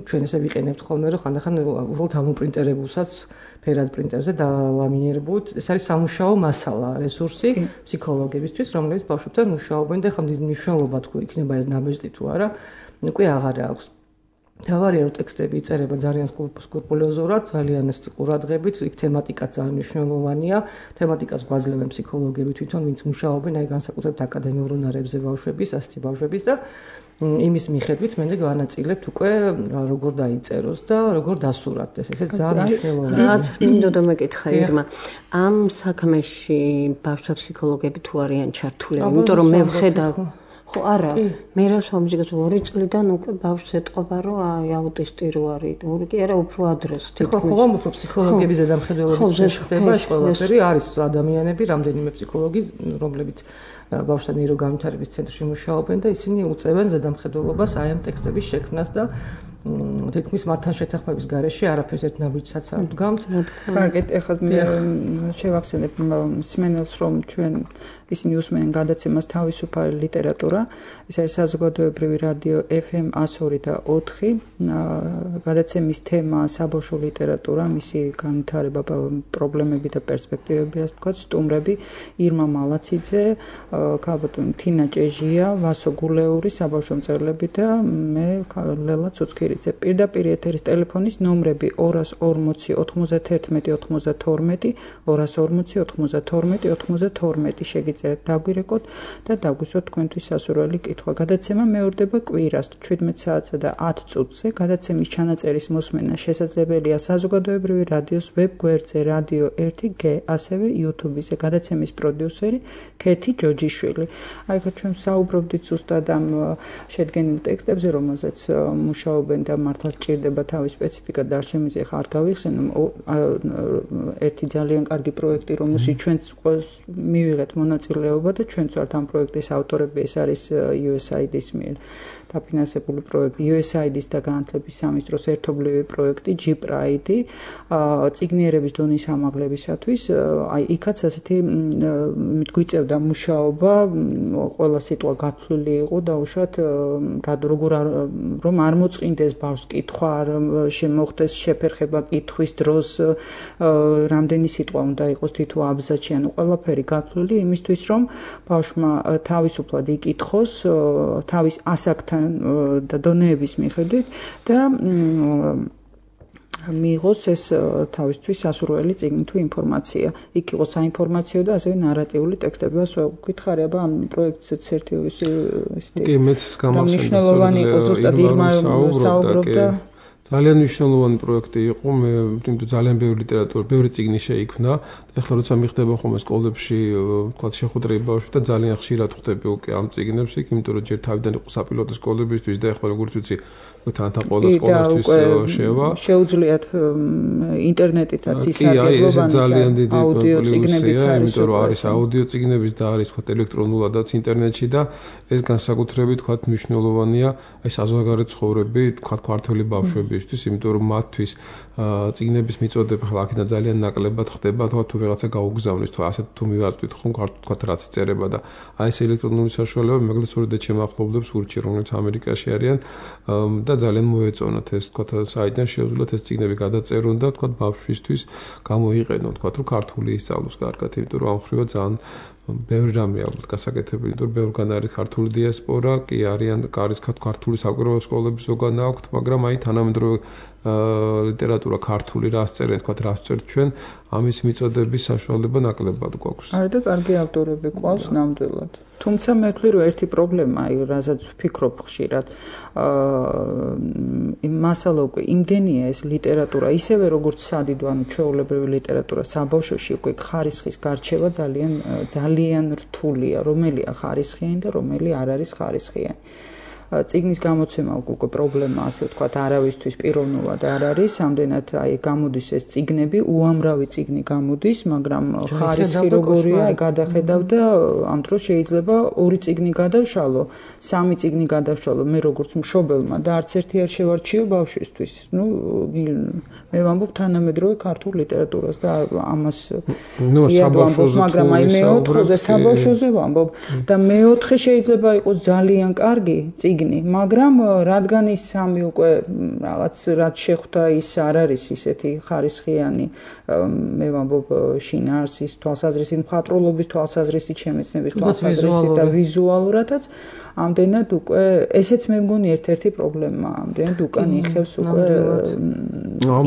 ჩვენ ესე ვიყენებთ ხოლმე, რომ ხანდახან უბრალოდ ამოპრინტერებულსაც ფერად პრინტერზე დალამინირებულთ. ეს არის სამუშაო მასალა, რესურსი ფსიქოლოგებისთვის, რომლებიც ბავშვებთან მუშაობენ და ხომ დიდი მნიშვნელობა თუ იქნება ეს ნაბეჭდი თუ არა, უკვე აღარ აქვს. თავარია რომ ტექსტები იწერება ძალიან სკრუპულოზურად, ძალიან ეს ყურადღებით, იქ თემატიკა ძალიან მნიშვნელოვანია. თემატიკას გვაძლევენ ფსიქოლოგები თვითონ, ვინც მუშაობენ აი განსაკუთრებით აკადემიურ უნარებზე ბავშვების, ასეთი ბავშვების და იმის მიხედვით მე განაწილებთ უკვე როგორ დაიწეროს და როგორ დასურათდეს. ესე ძალიან მნიშვნელოვანია. რაც მინდოდა მეკითხა ირმა, ამ საქმეში ბავშვთა ფსიქოლოგები თუ არიან ჩართულები, იმიტომ რომ მე ვხედავ ხო არა, მე რას ვამჯერებ ორი წლიდან უკვე ბავშვს ეტყობა რომ აი აუტისტი რო არის, ორი კი არა უფრო ადრეს. ხო, ხო, უფრო ფსიქოლოგების ზედამხედველობის ხდება ეს ყველაფერი, არის ადამიანები, რამდენიმე ფსიქოლოგი, რომლებიც ბავშვთა ნეიროგანვითარების ცენტრში მუშაობენ და ისინი უწევენ ზედამხედველობას აი ამ ტექსტების შექმნას და თითქმის მათთან შეთანხმების გარეშე არაფერს ერთ ნაბიჯსაც არ დგამთ. კარგით, ეხლა მე შევახსენებ მსმენელს, რომ ჩვენ ისინი უსმენენ გადაცემას თავისუფალი ლიტერატურა. ეს არის საზოგადოებრივი რადიო ეფ ემ εκατო ორი და ოთხი. გადაცემის თემა საბავშვო ლიტერატურა, მისი განვითარება, პრობლემები და პერსპექტივები, ასე ვთქვათ, სტუმრები ირმა მალაციძე, ქალბატონი თინა ჭეჟია, ვასო გულეური, საბავშვო მწერლები და მე ლელა ცუცქირი. პირდაპირ ეთერის ტელეფონის ნომრები ორას ორმოცი ოთხმოცდათერთმეტი ოცდათორმეტი, ორას ორმოცი ოთხმოცდათორმეტი ოცდათორმეტი შეგიძლიათ დაგვირეკოთ და დაგვისვათ თქვენთვის სასურველი კითხვა. გადაცემა მეორდება კვირას შვიდმეტ საათსა და ათ წუთზე. გადაცემის ჩანაწერის მოსმენა შესაძლებელია საზოგადოებრივი რადიოს ვებ გვერდზე რადიო ერთი გე, ასევე YouTube-ზე. გადაცემის პროდიუსერი ქეთი ჯოჯიშვილი. აი ხა ჩვენ საუბრობდით ზუსტად ამ შედგენილ ტექსტებზე, რომელზეც მუშაობენ და მართლა სჭირდება თავის სპეციფიკა და არ შემიძლია ხა არ გავიხსენო ერთი ძალიან კარგი პროექტი, რომელშიც ჩვენც მივიღეთ მონაწილეობა და ჩვენც ვართ ამ პროექტის ავტორები, ეს არის იუ ეს აი დის მიერ დაფინანსებული პროექტი, იუ ეს აი დის და განათლების სამინისტროს ერთობლივი პროექტი ჯი პრაიდი, წიგნიერების დონის ამაღლებისათვის. აი იქაც ასეთი გვიწევდა მუშაობა, ყველა სიტყვა გათვლილი იყო და უშუალოდ როგორ რომ არ მოწყინდეს ბავშვს კითხვა, შემოხდეს შეფერხება კითხვის დროს, რამდენი სიტყვა უნდა იყოს თითო აბზაცში, ანუ ყველაფერი გათვლილი იმისთვის, რომ ბავშვმა თავისუფლად იკითხოს თავის ასაკთან და დონეების მიხედვით და მიიღოს ეს თავისთვის სასურველი წიგნი თუ ინფორმაცია. იქ იყოს საინფორმაციო და ასევე ნარატიული ტექსტები. ვკითხარი, აბა ამ პროექტზეც ერთი ისეთი კი მეც გამახსენდა მნიშვნელოვანი იყო ზუსტად ირმა საუბრობდა. ძალიან მნიშვნელოვანი პროექტი იყო, მე ვთქვი ძალიან ბევრი ლიტერატურა, ბევრი წიგნი შეიქმნა. ეხლა როცა მიხდება ხოლმე სკოლებში, თქვა შეხვედრები ბავშვებთან, ძალიან ხშირად ხვდები უკვე ამ წიგნებს, იმიტომ რომ ჯერ თავიდან იყო საპილოტო სკოლებისთვის და ეხლა როგორც ვიცი, თანთან ყველა სკოლისთვის შევა. შეუძლიათ ინტერნეტითაც ისარგებლობა ძალიან დიდი აუდიო წიგნებიც არის, იმიტომ რომ არის აუდიო წიგნებიც და არის თქვა ელექტრონულადაც ინტერნეტში და ეს განსაკუთრებით თქვა მნიშვნელოვანია აი საზოგადოებრივი ცხოვრები, თქვა ქართველი ბავშვებისთვის, იმიტომ რომ მათთვის წიგნების მიწოდება ხლა აქედან ძალიან ნაკლებად ხდება, თქვა თუ ვიღაცა გაუგზავნის, თუ ასეთ თუ მივაწვით ხომ თქვა რაც იწერება და აი ეს ელექტრონული საშუალება მაგალითად სწორედ ჩემ ახლობლებს ურჩი, რომელიც ამერიკაში არიან და ძალიან მოეწონათ ეს თქვა საიდან შეუძლიათ ეს წიგნები გადაწერონ და თქვა ბავშვისთვის გამოიყენონ, თქვა რომ ქართული ისწავლოს კარგად, იმიტომ რომ ამ ხრივა ძალიან ბევრი რამე აქვს გასაკეთებელი, იმიტომ რომ ბევრგან არის ქართული დიასპორა, კი არიან არის ქართული საკვირაო სკოლები ზოგან აქვთ, მაგრამ აი თანამედროვე ლიტერატურა ქართული რას წერენ, თქვა რას წერთ ჩვენ, ამის მიწოდების საშუალება ნაკლებად გვაქვს. არის და კარგი ავტორები ყავს ნამდვილად. თუმცა მე ვთვლი რომ ერთი პრობლემა, რასაც ვფიქრობ ხშირად, აა მასალა უკვე იმდენია ეს ლიტერატურა, ისევე როგორც სადიდო, ანუ ჩვეულებრივი ლიტერატურა საბავშვოში უკვე ხარისხის გარჩევა ძალიან ძალიან რთულია, რომელია ხარისხიანი და რომელი არ არის ხარისხიანი. წიგნის გამოცემა უკვე პრობლემა, ასე ვთქვათ, არავისთვის პიროვნულად არ არის, ამდენად აი გამოდის ეს წიგნები, უამრავი წიგნი გამოდის, მაგრამ ხარისხი როგორია, აი გადახედავ და ამ დროს შეიძლება ორი წიგნი გადავშალო, სამი წიგნი გადავშალო, მე როგორც მშობელმა და არც ერთი არ შევარჩიო ბავშვისთვის. ნუ მე ვამბობ თანამედროვე ქართულ ლიტერატურას და ამას ვამბობ, მაგრამ აი მეოთხეზე საბავშვოზე ვამბობ და მეოთხე შეიძლება იყოს ძალიან კარგი წიგნი, მაგრამ რადგან ის სამი უკვე რაღაც რაც შეხვდა ის არ არის ისეთი ხარისხიანი, მე ვამბობ შინაარსის თვალსაზრისით, მხატვრულობის თვალსაზრისით, შემეცნების თვალსაზრისით და ვიზუალურადაც, ამდენად უკვე ესეც მე მგონი ერთ-ერთი პრობლემაა, ამდენად უკან იხევს უკვე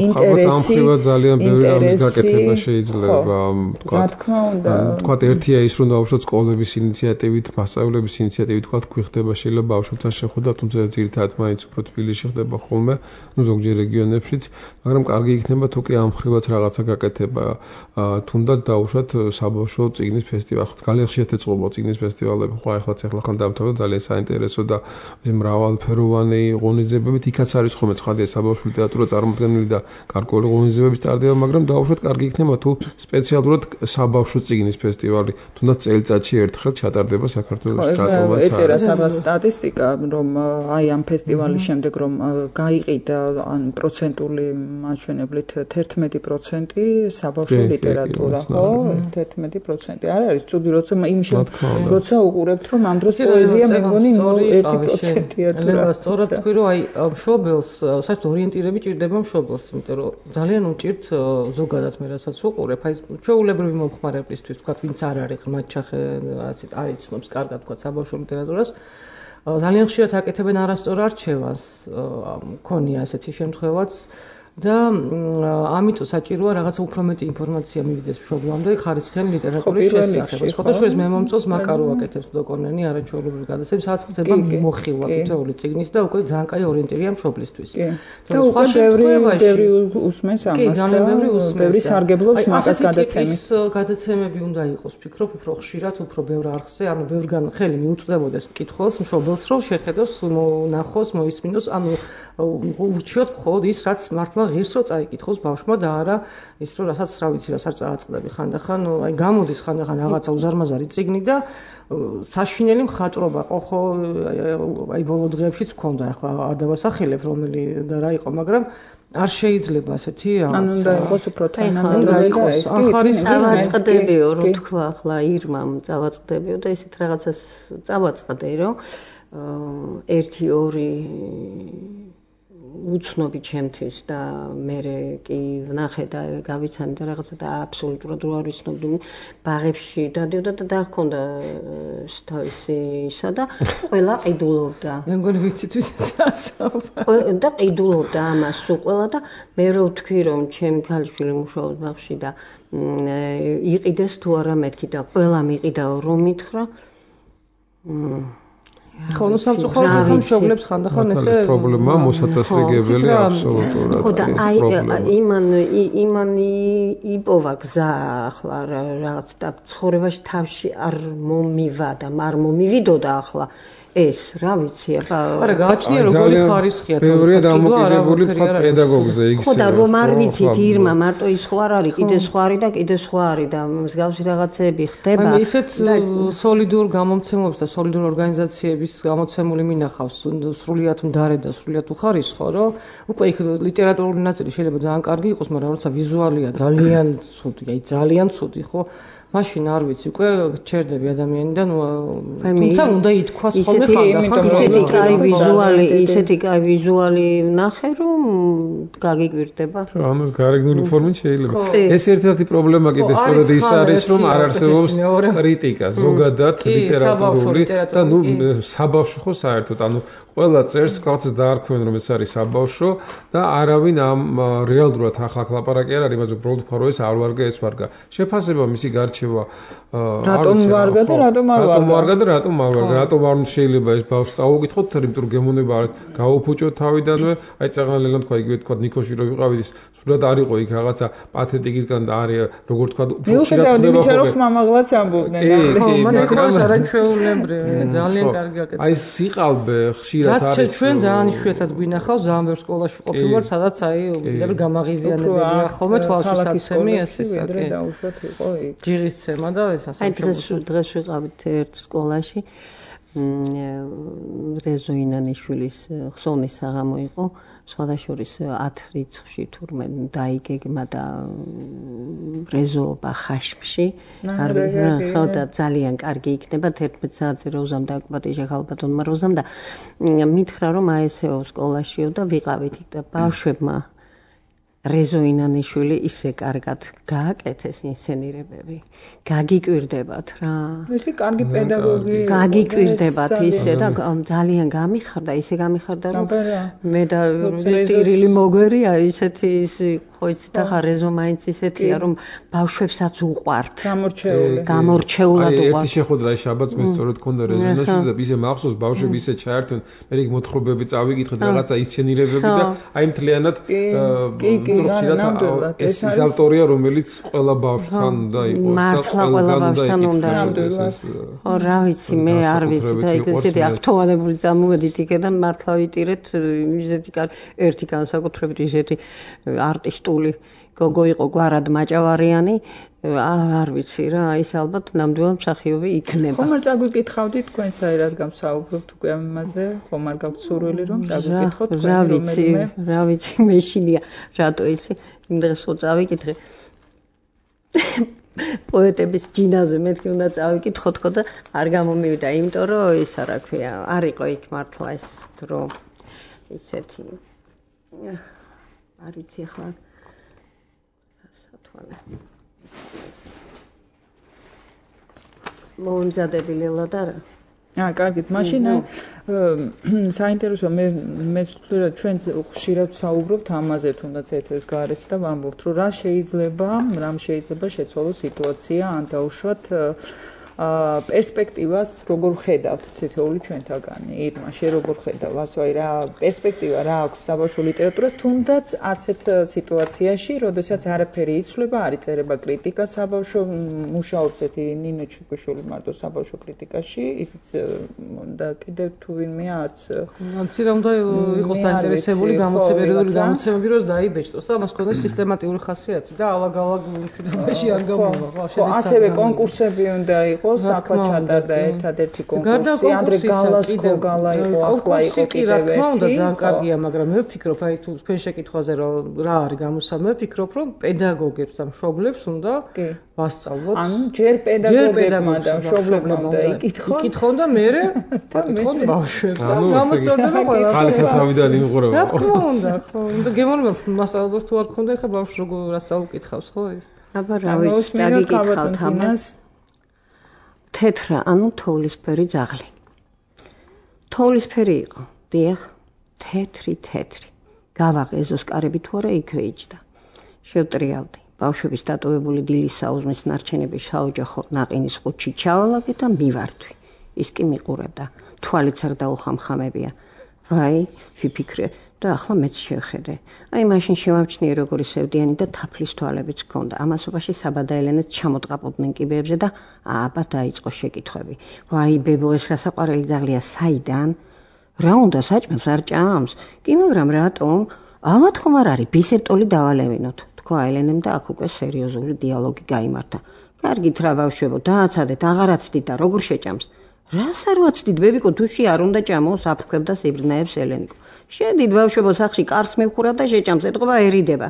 ინტერესი, ძალიან ბევრი ამის გაკეთება შეიძლება, თქვა. რა თქმა უნდა. თქვა ერთია ის, რომ დაუშვათ სკოლების ინიციატივით, მასწავლებლების ინიციატივით, თქვა გვიხდება შეიძლება ბავშვებთან შეხვედრა, თუმცა ძირითადად მაინც უფრო თბილისში ხდება ხოლმე, ну ზოგჯერ რეგიონებშიც, მაგრამ კარგი იქნება თუ კი ამ ხრივაც რაღაცა გაკეთება, თუნდაც დაუშვათ საბავშვო წიგნის ფესტივალი. ძალიან ხშირად ეწყობა წიგნის ფესტივალები, ხო ახლა ახლა ხან დამთავრდა ძალიან საინტერესო და მრავალფეროვანი ღონისძიებებით, იქაც არის ხოლმე ცხადია საბავშვო ლიტერატურა წარმოდგენილი და გარკვეული ღონისძიებები სტარდება, მაგრამ დაუშვათ კარგი იქნება თუ სპეციალურად საბავშვო წიგნის ფესტივალი, თუნდაც წელიწადში ერთხელ ჩატარდება საქართველოს რატომაც. ეწერა სადღაც სტატისტიკა, რომ აი ამ ფესტივალის შემდეგ რომ გაიყიდა ან პროცენტული მაჩვენებლით თერთმეტი პროცენტი საბავშვო ლიტერატურა, ხო? თერთმეტი პროცენტი. არ არის ცუდი, როცა იმ როცა უყურებთ რომ ამ დროს პოეზია მე მგონი ერთი პროცენტია თუ რა. სწორად თქვი რომ აი მშობელს საერთოდ ორიენტირები ჭირდება მშობელს, იმიტომ რომ ძალიან უჭირთ ზოგადად მე რასაც ვუყურებ, აი ჩვეულებრივი მომხმარებლისთვის, თქვა ვინც არ არის ღმერთჩახე, ასეთ არ იცნობს კარგად თქვა საბავშვო ლიტერატურას, ძალიან ხშირად აკეთებენ არასწორ არჩევანს, მქონია ასეთი შემთხვევაც და ამიტომ საჭიროა რაღაცა უფრო მეტი ინფორმაცია მივიდეს მშობლამდე ხარისხიანი ლიტერატურის შესახებ. სხვადასხვა მე მომწონს მაკარო აკეთებს დოკონენი არაჩვეულებრივი გადაცემები, სადაც ხდება მოხილვა თითოეული წიგნის და უკვე ძალიან კაი ორიენტირია მშობლისთვის. და უკვე ბევრი ბევრი უსმენს ამას. კი, ძალიან ბევრი უსმენს. ბევრი სარგებლობს მაგას გადაცემის. გადაცემები უნდა იყოს, ვფიქრობ, უფრო ხშირად, უფრო ბევრ არხზე, ანუ ბევრგან ხელი მიუწვდებოდეს მკითხველს, მშობელს, რომ შეხედოს, ნახოს, მოისმინოს, ანუ ურჩიოთ მხოლოდ ის, რაც მართლა ღირს რო წაიკითხოს ბავშვმა და არა ის რო რასაც რა ვიცი რას არ წააწყდები ხანდახან აი გამოდის ხანდახან რაღაცა უზარმაზარი წიგნი და საშინელი მხატვრობა ხო ხო აი ბოლო დღეებშიც მქონდა ახლა არ დავასახელებ რომელი და რა იყო მაგრამ არ შეიძლება ასეთი ანუ უნდა იყოს უფრო თანამედროვე და ეს ახარის წავაწყდებიო რო თქვა ახლა ირმამ წავაწყდებიო და ისეთ რაღაცას წავაწყდე რომ ერთი ორი უცნობი ჩემთვის და მე კი ვნახე და გავიცანი და რაღაცა და აბსოლუტურად რო არ ვიცნობდი ბაღებში დადიოდა და დაგქონდა თავისი ისა და ყველა ყიდულობდა. მე მგონი ვიცით ვისაც ასაუბარ. და ყიდულობდა ამას სულ ყველა და მე რო ვთქვი რომ ჩემი ქალიშვილი მუშაობს ბაღში და იყიდეს თუ არა მეთქი და ყველა მიყიდაო რომ მითხრა ხო, ნუ სამწუხაროდ მშობლებს ხანდახან ესე პრობლემა მოსაწესრიგებელი აბსოლუტურად. ხო და აი იმან იმან იპოვა გზა ახლა რაღაც და ცხოვრებაში თავში არ მომივა და არ მომივიდოდა ახლა ეს რა ვიცი აბა არა გააჩნია როგორი ხარისხია ბევრია დამოკიდებული პედაგოგზე იქ ხო და რომ არ ვიცით ირმა მარტო ის ხო არ არის კიდე სხვა არის და კიდე სხვა არის და მსგავსი რაღაცეები ხდება აი ისეთ სოლიდურ გამომცემლებს და სოლიდურ ორგანიზაციების გამოცემული მინახავს სრულიად მდარე და სრულიად უხარისხო რომ უკვე იქ ლიტერატურული ნაწილი შეიძლება ძალიან კარგი იყოს მაგრამ როცა ვიზუალია ძალიან ცუდი აი ძალიან ცუდი ხო მაშინ არ ვიცი უკვე ჩერდები ადამიანიდან თუმცა უნდა ითქვას ხოლმე ხანდახან ისეთი კაი ვიზუალი ისეთი კაი ვიზუალი ნახე რომ გაგიგვირდება ამას გარეგნული ფორმით შეიძლება ეს ერთ-ერთი პრობლემა კიდე სწორედ ის არის რომ არ არსებობს კრიტიკა ზოგადად ლიტერატურული და ნუ საბავშვო ხო საერთოდ ანუ ყველა წერს კაცს დაარქვენ რომ ეს არის საბავშვო და არავინ ამ რეალურად ახლა ლაპარაკი არ არის იმაზე უბრალოდ ფარო ეს არ ვარგა ეს ვარგა შეფასება მისი გარჩევა რატომ ვარგა და რატომ არ ვარგა რატომ ვარგა და რატომ არ ვარგა რატომ არ შეიძლება ეს ბავშვს წავუკითხოთ იმიტომ რომ გემონება გაუფუჭოთ თავიდანვე აი წაღალელან თქვა იგივე თქვა ნიკოში რო ვიყავით ის სულად არ იყო იქ რაღაცა პათეტიკისგან და არის როგორ თქვა უხშირად იმისა რომ ხმამაღლაც ამბობდნენ ხო მაგრამ არაჩვეულებრივი ძალიან კარგი აკეთებს აი სიყალბე ხშირად არის ჩვენ ძალიან იშვიათად გვინახავს ძალიან ბევრ სკოლაში ყოფილვარ სადაც აი მე გამაღიზიანებელია ხოლმე თვალშისაცემი ეს ისაკი დაუშვათ იყო იქ ჯირისცემა და ეს ასე აი დღეს დღეს ვიყავით ერთ სკოლაში რეზო ინანიშვილის ხსოვნის საღამო იყო სხვადასხვის ათ რიცხვში თურმე დაიგეგმა და რეზოობა ხაშმში არ ვიცი ხო და ძალიან კარგი იქნება თერთმეტ საათზე როზამ და აკბატიჟა ხალბატონმა როზამ და მითხრა რომ აესეო სკოლაშიო და ვიყავით იქ და ბავშვებმა რეზო ინანიშვილი ისე კარგად გააკეთეს ინსცენირებები გაგიკვირდებათ რა ისე კარგი პედაგოგი გაგიკვირდებათ ისე და ძალიან გამიხარდა ისე გამიხარდა რომ მე და ტირილი მოგვერია ისეთი ისი ხო იცით ახლა რეზო მაინც ისეთია რომ ბავშვებსაც უყვართ გამორჩეული გამორჩეულად უყვართ ერთი შეხვედრა შაბათს მე სწორედ მქონდა რეზონანსი და ისე მახსოვს ბავშვები ისე ჩაერთვენ მე იქ მოთხრობები წავიკითხეთ რაღაცა ინსცენირებები და აი მთლიანად ეს ის ავტორია რომელიც ყველა ბავშვთან უნდა იყოს მართლა ყველა ბავშვთან უნდა ხო რა ვიცი მე არ ვიცი და იქ ესეთი აღთოვანებული წამოვედით იქიდან მართლა ვიტირეთ ისეთი ერთი განსაკუთრებით ისეთი არტისტული გოგო იყო გვარად მაჭავარიანი არ ვიცი რა ის ალბათ ნამდვილად მსახიობი იქნება ხომ არ წაგვიკითხავდით თქვენ საერთოდ გამსაუბრობთ უკვე ამ იმაზე ხომ არ გაქვთ სურვილი რომ წაგვიკითხოთ რა ვიცი რა ვიცი მეშინია რატო იცი იმ დღეს ხო წავიკითხე პოეტების ჯინაზე მეთქი უნდა წავიკითხოთ ხო და არ გამომივიდა იმიტომ რომ ისა რა ქვია არ იყო იქ მართლა ეს დრო ისეთი არ ვიცი ახლა სათვალე მომზადებელი ლადარა აა კარგით მაშინ საინტერესო მე მე ჩვენ ხშირად საუბრობთ ამაზე თუნდაც ეთერს გარეთ და ვამბობთ რომ რა შეიძლება რამ შეიძლება შეცვალოს სიტუაცია ან დაუშვათ აა პერსპექტივას როგორ ხედავთ თითოეული ჩვენთაგანი ირმა შე როგორ ხედავ ასე აი რა პერსპექტივა რა აქვს საბავშვო ლიტერატურას თუნდაც ასეთ სიტუაციაში როდესაც არაფერი იცვლება არ იწერება კრიტიკა საბავშვო მუშაობს ეთი ნინო ჩიკვიშვილი მარტო საბავშვო კრიტიკაში ისიც და კიდევ თუ ვინმე არც ამცი რომ და იყოს დაინტერესებული გამოცემები გამოცემები როს დაიბეჭდოს და მას ქონდეს სისტემატიური ხასიათი და ალაგ-ალაგ მშვიდობაში არ გამოვა ხო ასევე კონკურსები უნდა იყოს საფა ჩატარდა ერთადერთი კონკურსი ანდრე გალასკო გალა იყო ახლა იყო კიდევ ერთი რა უნდა ძალიან კარგია მაგრამ მე ვფიქრობ აი თუ თქვენ შეკითხვაზე რა არის გამოსა მე ვფიქრობ რომ პედაგოგებს და მშობლებს უნდა ვასწავლოთ ანუ ჯერ პედაგოგებმა და მშობლებმა უნდა იკითხონ იკითხონ და მე აკითხონ ბავშვებს და გამოსწორდება ყველა ხალხი თავიდან იმღურება რა თქმა უნდა ხო უნდა გემოვნებ მასწავლებლებს თუ არ ქონდა ეხა ბავშვს როგორ რას აუკითხავს ხო ის აბა რა ვიცი წაგიკითხავთ ამას თეთრა, ანუ თოვლისფერი ძაღლი. თოვლისფერი იყო, დიახ, თეთრი, თეთრი. გავაღე ეზოს კარები თუ არა იქვე იჯდა. შევტრიალდი. ბავშვების დატოვებული დილის საუზმის ნარჩენები საოჯახო ნაყინის ყუთში ჩავალაგე და მივარდვი. ის კი მიყურებდა. თვალიც არ დაუხამხამებია. ვაი, ვიფიქრე და ახლა მეც შევხედე. აი მაშინ შევამჩნიე როგორი სევდიანი და თაფლის თვალებიც ჰქონდა. ამასობაში საბადა ელენეც ჩამოტყაპოდნენ კიბეებზე და აბა დაიწყო შეკითხვები. ვაი ბებო ეს რა საყვარელი ძაღლია საიდან? რა უნდა საჭმელს არ ჭამს? კი მაგრამ რატომ? ალბათ ხომ არ არის ბისეპტოლი დავალევინოთ. თქვა ელენემ და აქ უკვე სერიოზული დიალოგი გაიმართა. კარგით რა ბავშვებო, დააცადეთ, აღარაცდით და როგორ შეჭამს? რას არ ვაცდით ბებიკო თუში არ უნდა ჭამოს აფრქვევდა სიბრნაებს ელენიკო. შედით ბავშვებო სახში კარს მივხურა და შეჭამს ეთყობაერიდება.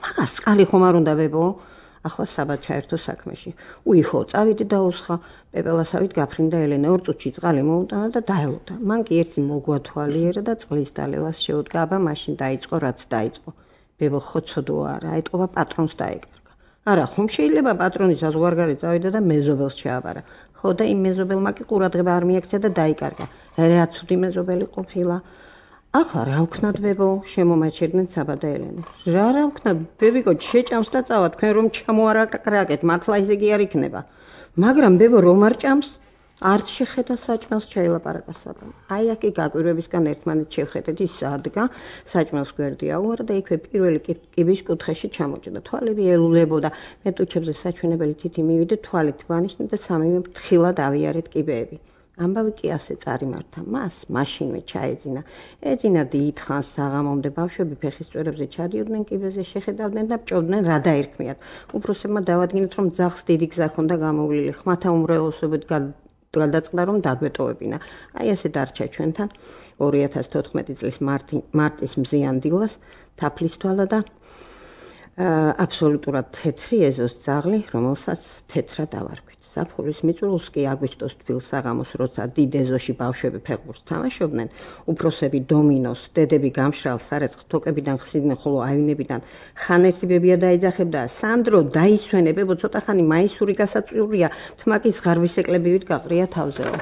მაგას წყალი ხომ არ უნდა ბებო? ახლა საბა ჩაერთო საქმეში. უიხო, წავიდი და უსხა. პეპელასავით გაფრინდა ელენა ორ წუთში წყალი მოუტანა და დაელოდა. მან კი ერთი მოგვათვალიერა და წყლის დალევას შეუდგა, აბა მაშინ დაიწყო რაც დაიწყო. ბებო ხო ცოდო არა, ეთყობა პატრონს დაეკარგა. არა, ხომ შეიძლება პატრონის საზღვარგარეთ წავიდა და მეზობელს ჩააბარა. ხო და იმ მეზობელმა კი ყურადღება არ მიაქცია და დაიკარგა. რა ცუდი მეზობელი ყოფილა. ახლა რა ვქნათ ბებო, შემომაჩერდნენ საბა და ელენე. რა რა ვქნათ, ბებიკო, შეჭამს და წავა, თქვენ რომ ჩამოარაკრაკეთ, მართლა ისე კი არ იქნება. მაგრამ ბებო რომ არ ჭამს, არც შეხედა საჭმელს ჩაილაპარაკა საბამ. აი აქ კი გაკვირვებისგან ერთმანეთს შევხედეთ ის ადგა, საჭმელს გვერდი აუარა და იქვე პირველი კიბის კუთხეში ჩამოჭდა. თვალები ელულებოდა. მე ტუჩებზე საჩვენებელი თითი მივიდე, თვალით ვანიშნე და სამივე ფრთხილად ავიარეთ კიბეები. ამბავი კი ასე წარიმართა მას, მაშინვე ჩაეძინა. ეძინა დიდხანს საღამომდე ბავშვები ფეხის წვერებზე ჩადიოდნენ კიბეზე, შეხედავდნენ და ჭოვდნენ რა დაერქმიათ. უფროსებმა დავადგინეთ, რომ ძაღლს დიდი გზა ჰქონდა გამოვლილი, ხმათა უმრავლესობით გადაწყდა, რომ დაგვეტოვებინა. აი ასე დარჩა ჩვენთან ორი ათას თოთხმეტი წლის მარტის მზიან დილას თაფლის თვალა და აბსოლუტურად თეთრი ეზოს ძაღლი, რომელსაც თეთრად ავარქვით. საფხურის მიწურულს კი აგვისტოს თბილ საღამოს, როცა დიდ ეზოში ბავშვები ფეხბურთს თამაშობდნენ, უფროსები დომინოს, დედები გამშრალ სარეცხ თოკებიდან ხსნიდნენ, ხოლო აივნებიდან ხან ერთი ბებია დაიძახებდა, სანდრო დაისვენე, ბებო, ცოტა ხანი მაისური გასაწვიურია, თმაკის ღარვის ეკლebivით გაყრია თავზეო.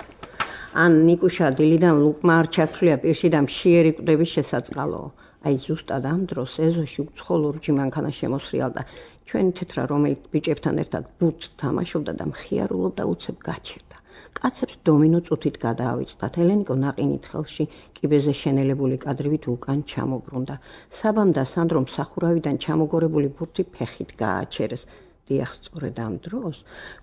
ან ნიკუშა დილიდან ლუკმა არ ჩაქცვლია პირში და მშიერი კვდების შესაწყალო. აი ზუსტად ამ დროს ეზოში უცხო ლურჯი მანქანა შემოსრიალდა. ჩვენი თეთრა რომელიც ბიჭებთან ერთად ბურთს თამაშობდა და მხიარულობდა უცებ გაჩერდა. კაცებს დომინო წუთით გადაავიწყდათ. ელენიკო ნაყინით ხელში კიბეზე შენელებული კადრივით უკან ჩამობრუნდა. საბამ და სანდრომ სახურავიდან ჩამოგორებული ბურთი ფეხით გააჩერეს. დიახ, სწორედ ამ დროს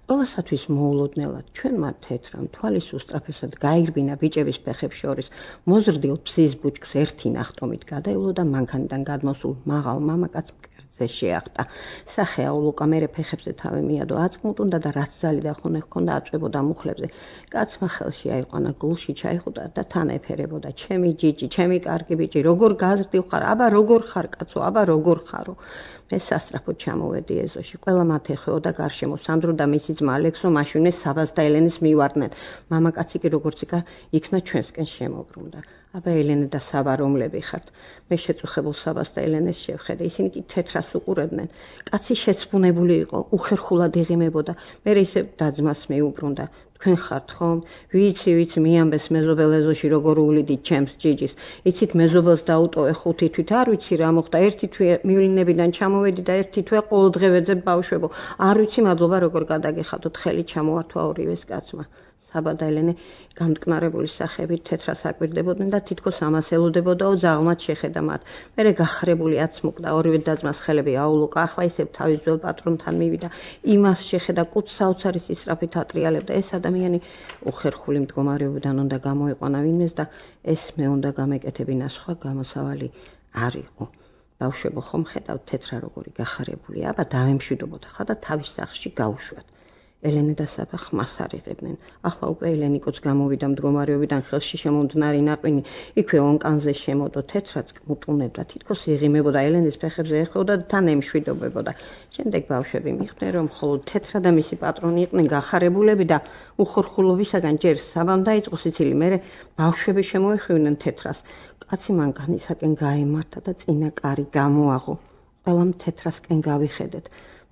ყველასათვის მოულოდნელად ჩვენმა თეთრამ თვალის უსწრაფესად გაირბინა ბიჭების ფეხებს შორის მოზრდილ ფსის ბუჩქს ერთი ნახტომით გადაევლო და მანქანიდან გადმოსულ მაღალ მამაკაც მკერდზე შეახტა. სახე აულუკა მერე ფეხებზე თავი მიადო, აწმუნდა და რაც ზალი და ხონე ჰქონდა აწვებოდა მუხლებზე. კაცმა ხელში აიყვანა გულში ჩაიხუტა და თან ეფერებოდა. ჩემი ჯიჯი, ჩემი კარგი ბიჭი, როგორ გაზრდილ ხარ? აბა როგორ ხარ კაცო? აბა როგორ ხარო? მე სასწრაფოდ ჩამოვედი ეზოში. ყველა მათ ეხეოდა გარშემო. სანდრო და მისი ძმა ალექსო მაშინვე საბას და ელენეს მივარდნენ. მამაკაცი კი როგორც იქა იქნა ჩვენსკენ შემოbrunდა. აბა ელენე და საბა რომლები ხართ? მე შეწუხებულ საბას და ელენეს შევხედე. ისინი კი თეთრას უყურებდნენ. კაცი შეცვუნებული იყო, უხერხულად იღიმებოდა. მე ისე დაძმას მეუბრუნდა. თქვენ ხართ ხომ? ვიცი, ვიცი, მიამბეს მეზობელ ეზოში როგორ უვლიდით ჩემს ჯიჯის. იცით მეზობელს დაუტოვე ხუთი თვით, არ ვიცი რა მოხდა. ერთი თვე მივლინებიდან ჩამოვედი და ერთი თვე ყოველდღე ვეძებ ბავშვებო. არ ვიცი მადლობა როგორ გადაგეხადოთ, ხელი ჩამოართვა ორივეს კაცმა. საბა და ელენე გამტკნარებული სახებით თეთრას აკვირდებოდნენ და თითქოს ამას ელოდებოდაო ძაღლმაც შეხედა მათ. მერე გახარებული აცმუკდა ორივე დაძმას ხელები აულუკა, ახლა ისევ თავის ძველ პატრონთან მივიდა. იმას შეხედა კუც საოცარი სისწრაფით ატრიალებდა. ეს ადამიანი უხერხული მდგომარეობიდან უნდა გამოეყვანა ვინმეს და ეს მე უნდა გამეკეთებინა, სხვა გამოსავალი არ იყო. ბავშვებო, ხომ ხედავთ თეთრა როგორი გახარებულია? აბა დავემშვიდობოთ ახლა და თავის სახლში გავუშვათ. ელენე და საბა ხმას არ იღებდნენ. ახლა უკვე ელენიკოც გამოვიდა მდგომარეობიდან, ხელში შემომძნარი ნაყინი იქვე ონკანზე შემოდო. თეთრაც მუტუნებდა, თითქოს იღიმებოდა, ელენეს ფეხებზე ეხებოდა და თან ემშვიდობებოდა. შემდეგ ბავშვები მიხვდნენ, რომ მხოლოდ თეთრა და მისი პატრონი იყვნენ გახარებულები და უხორხულობისაგან ჯერ საბამ დაიწყო სიცილი, მერე ბავშვები შემოეხივნენ თეთრას. კაცი მანქანისაკენ გაემართა და წინა კარი გამოაღო. ყველამ თეთრასკენ გავიხედეთ.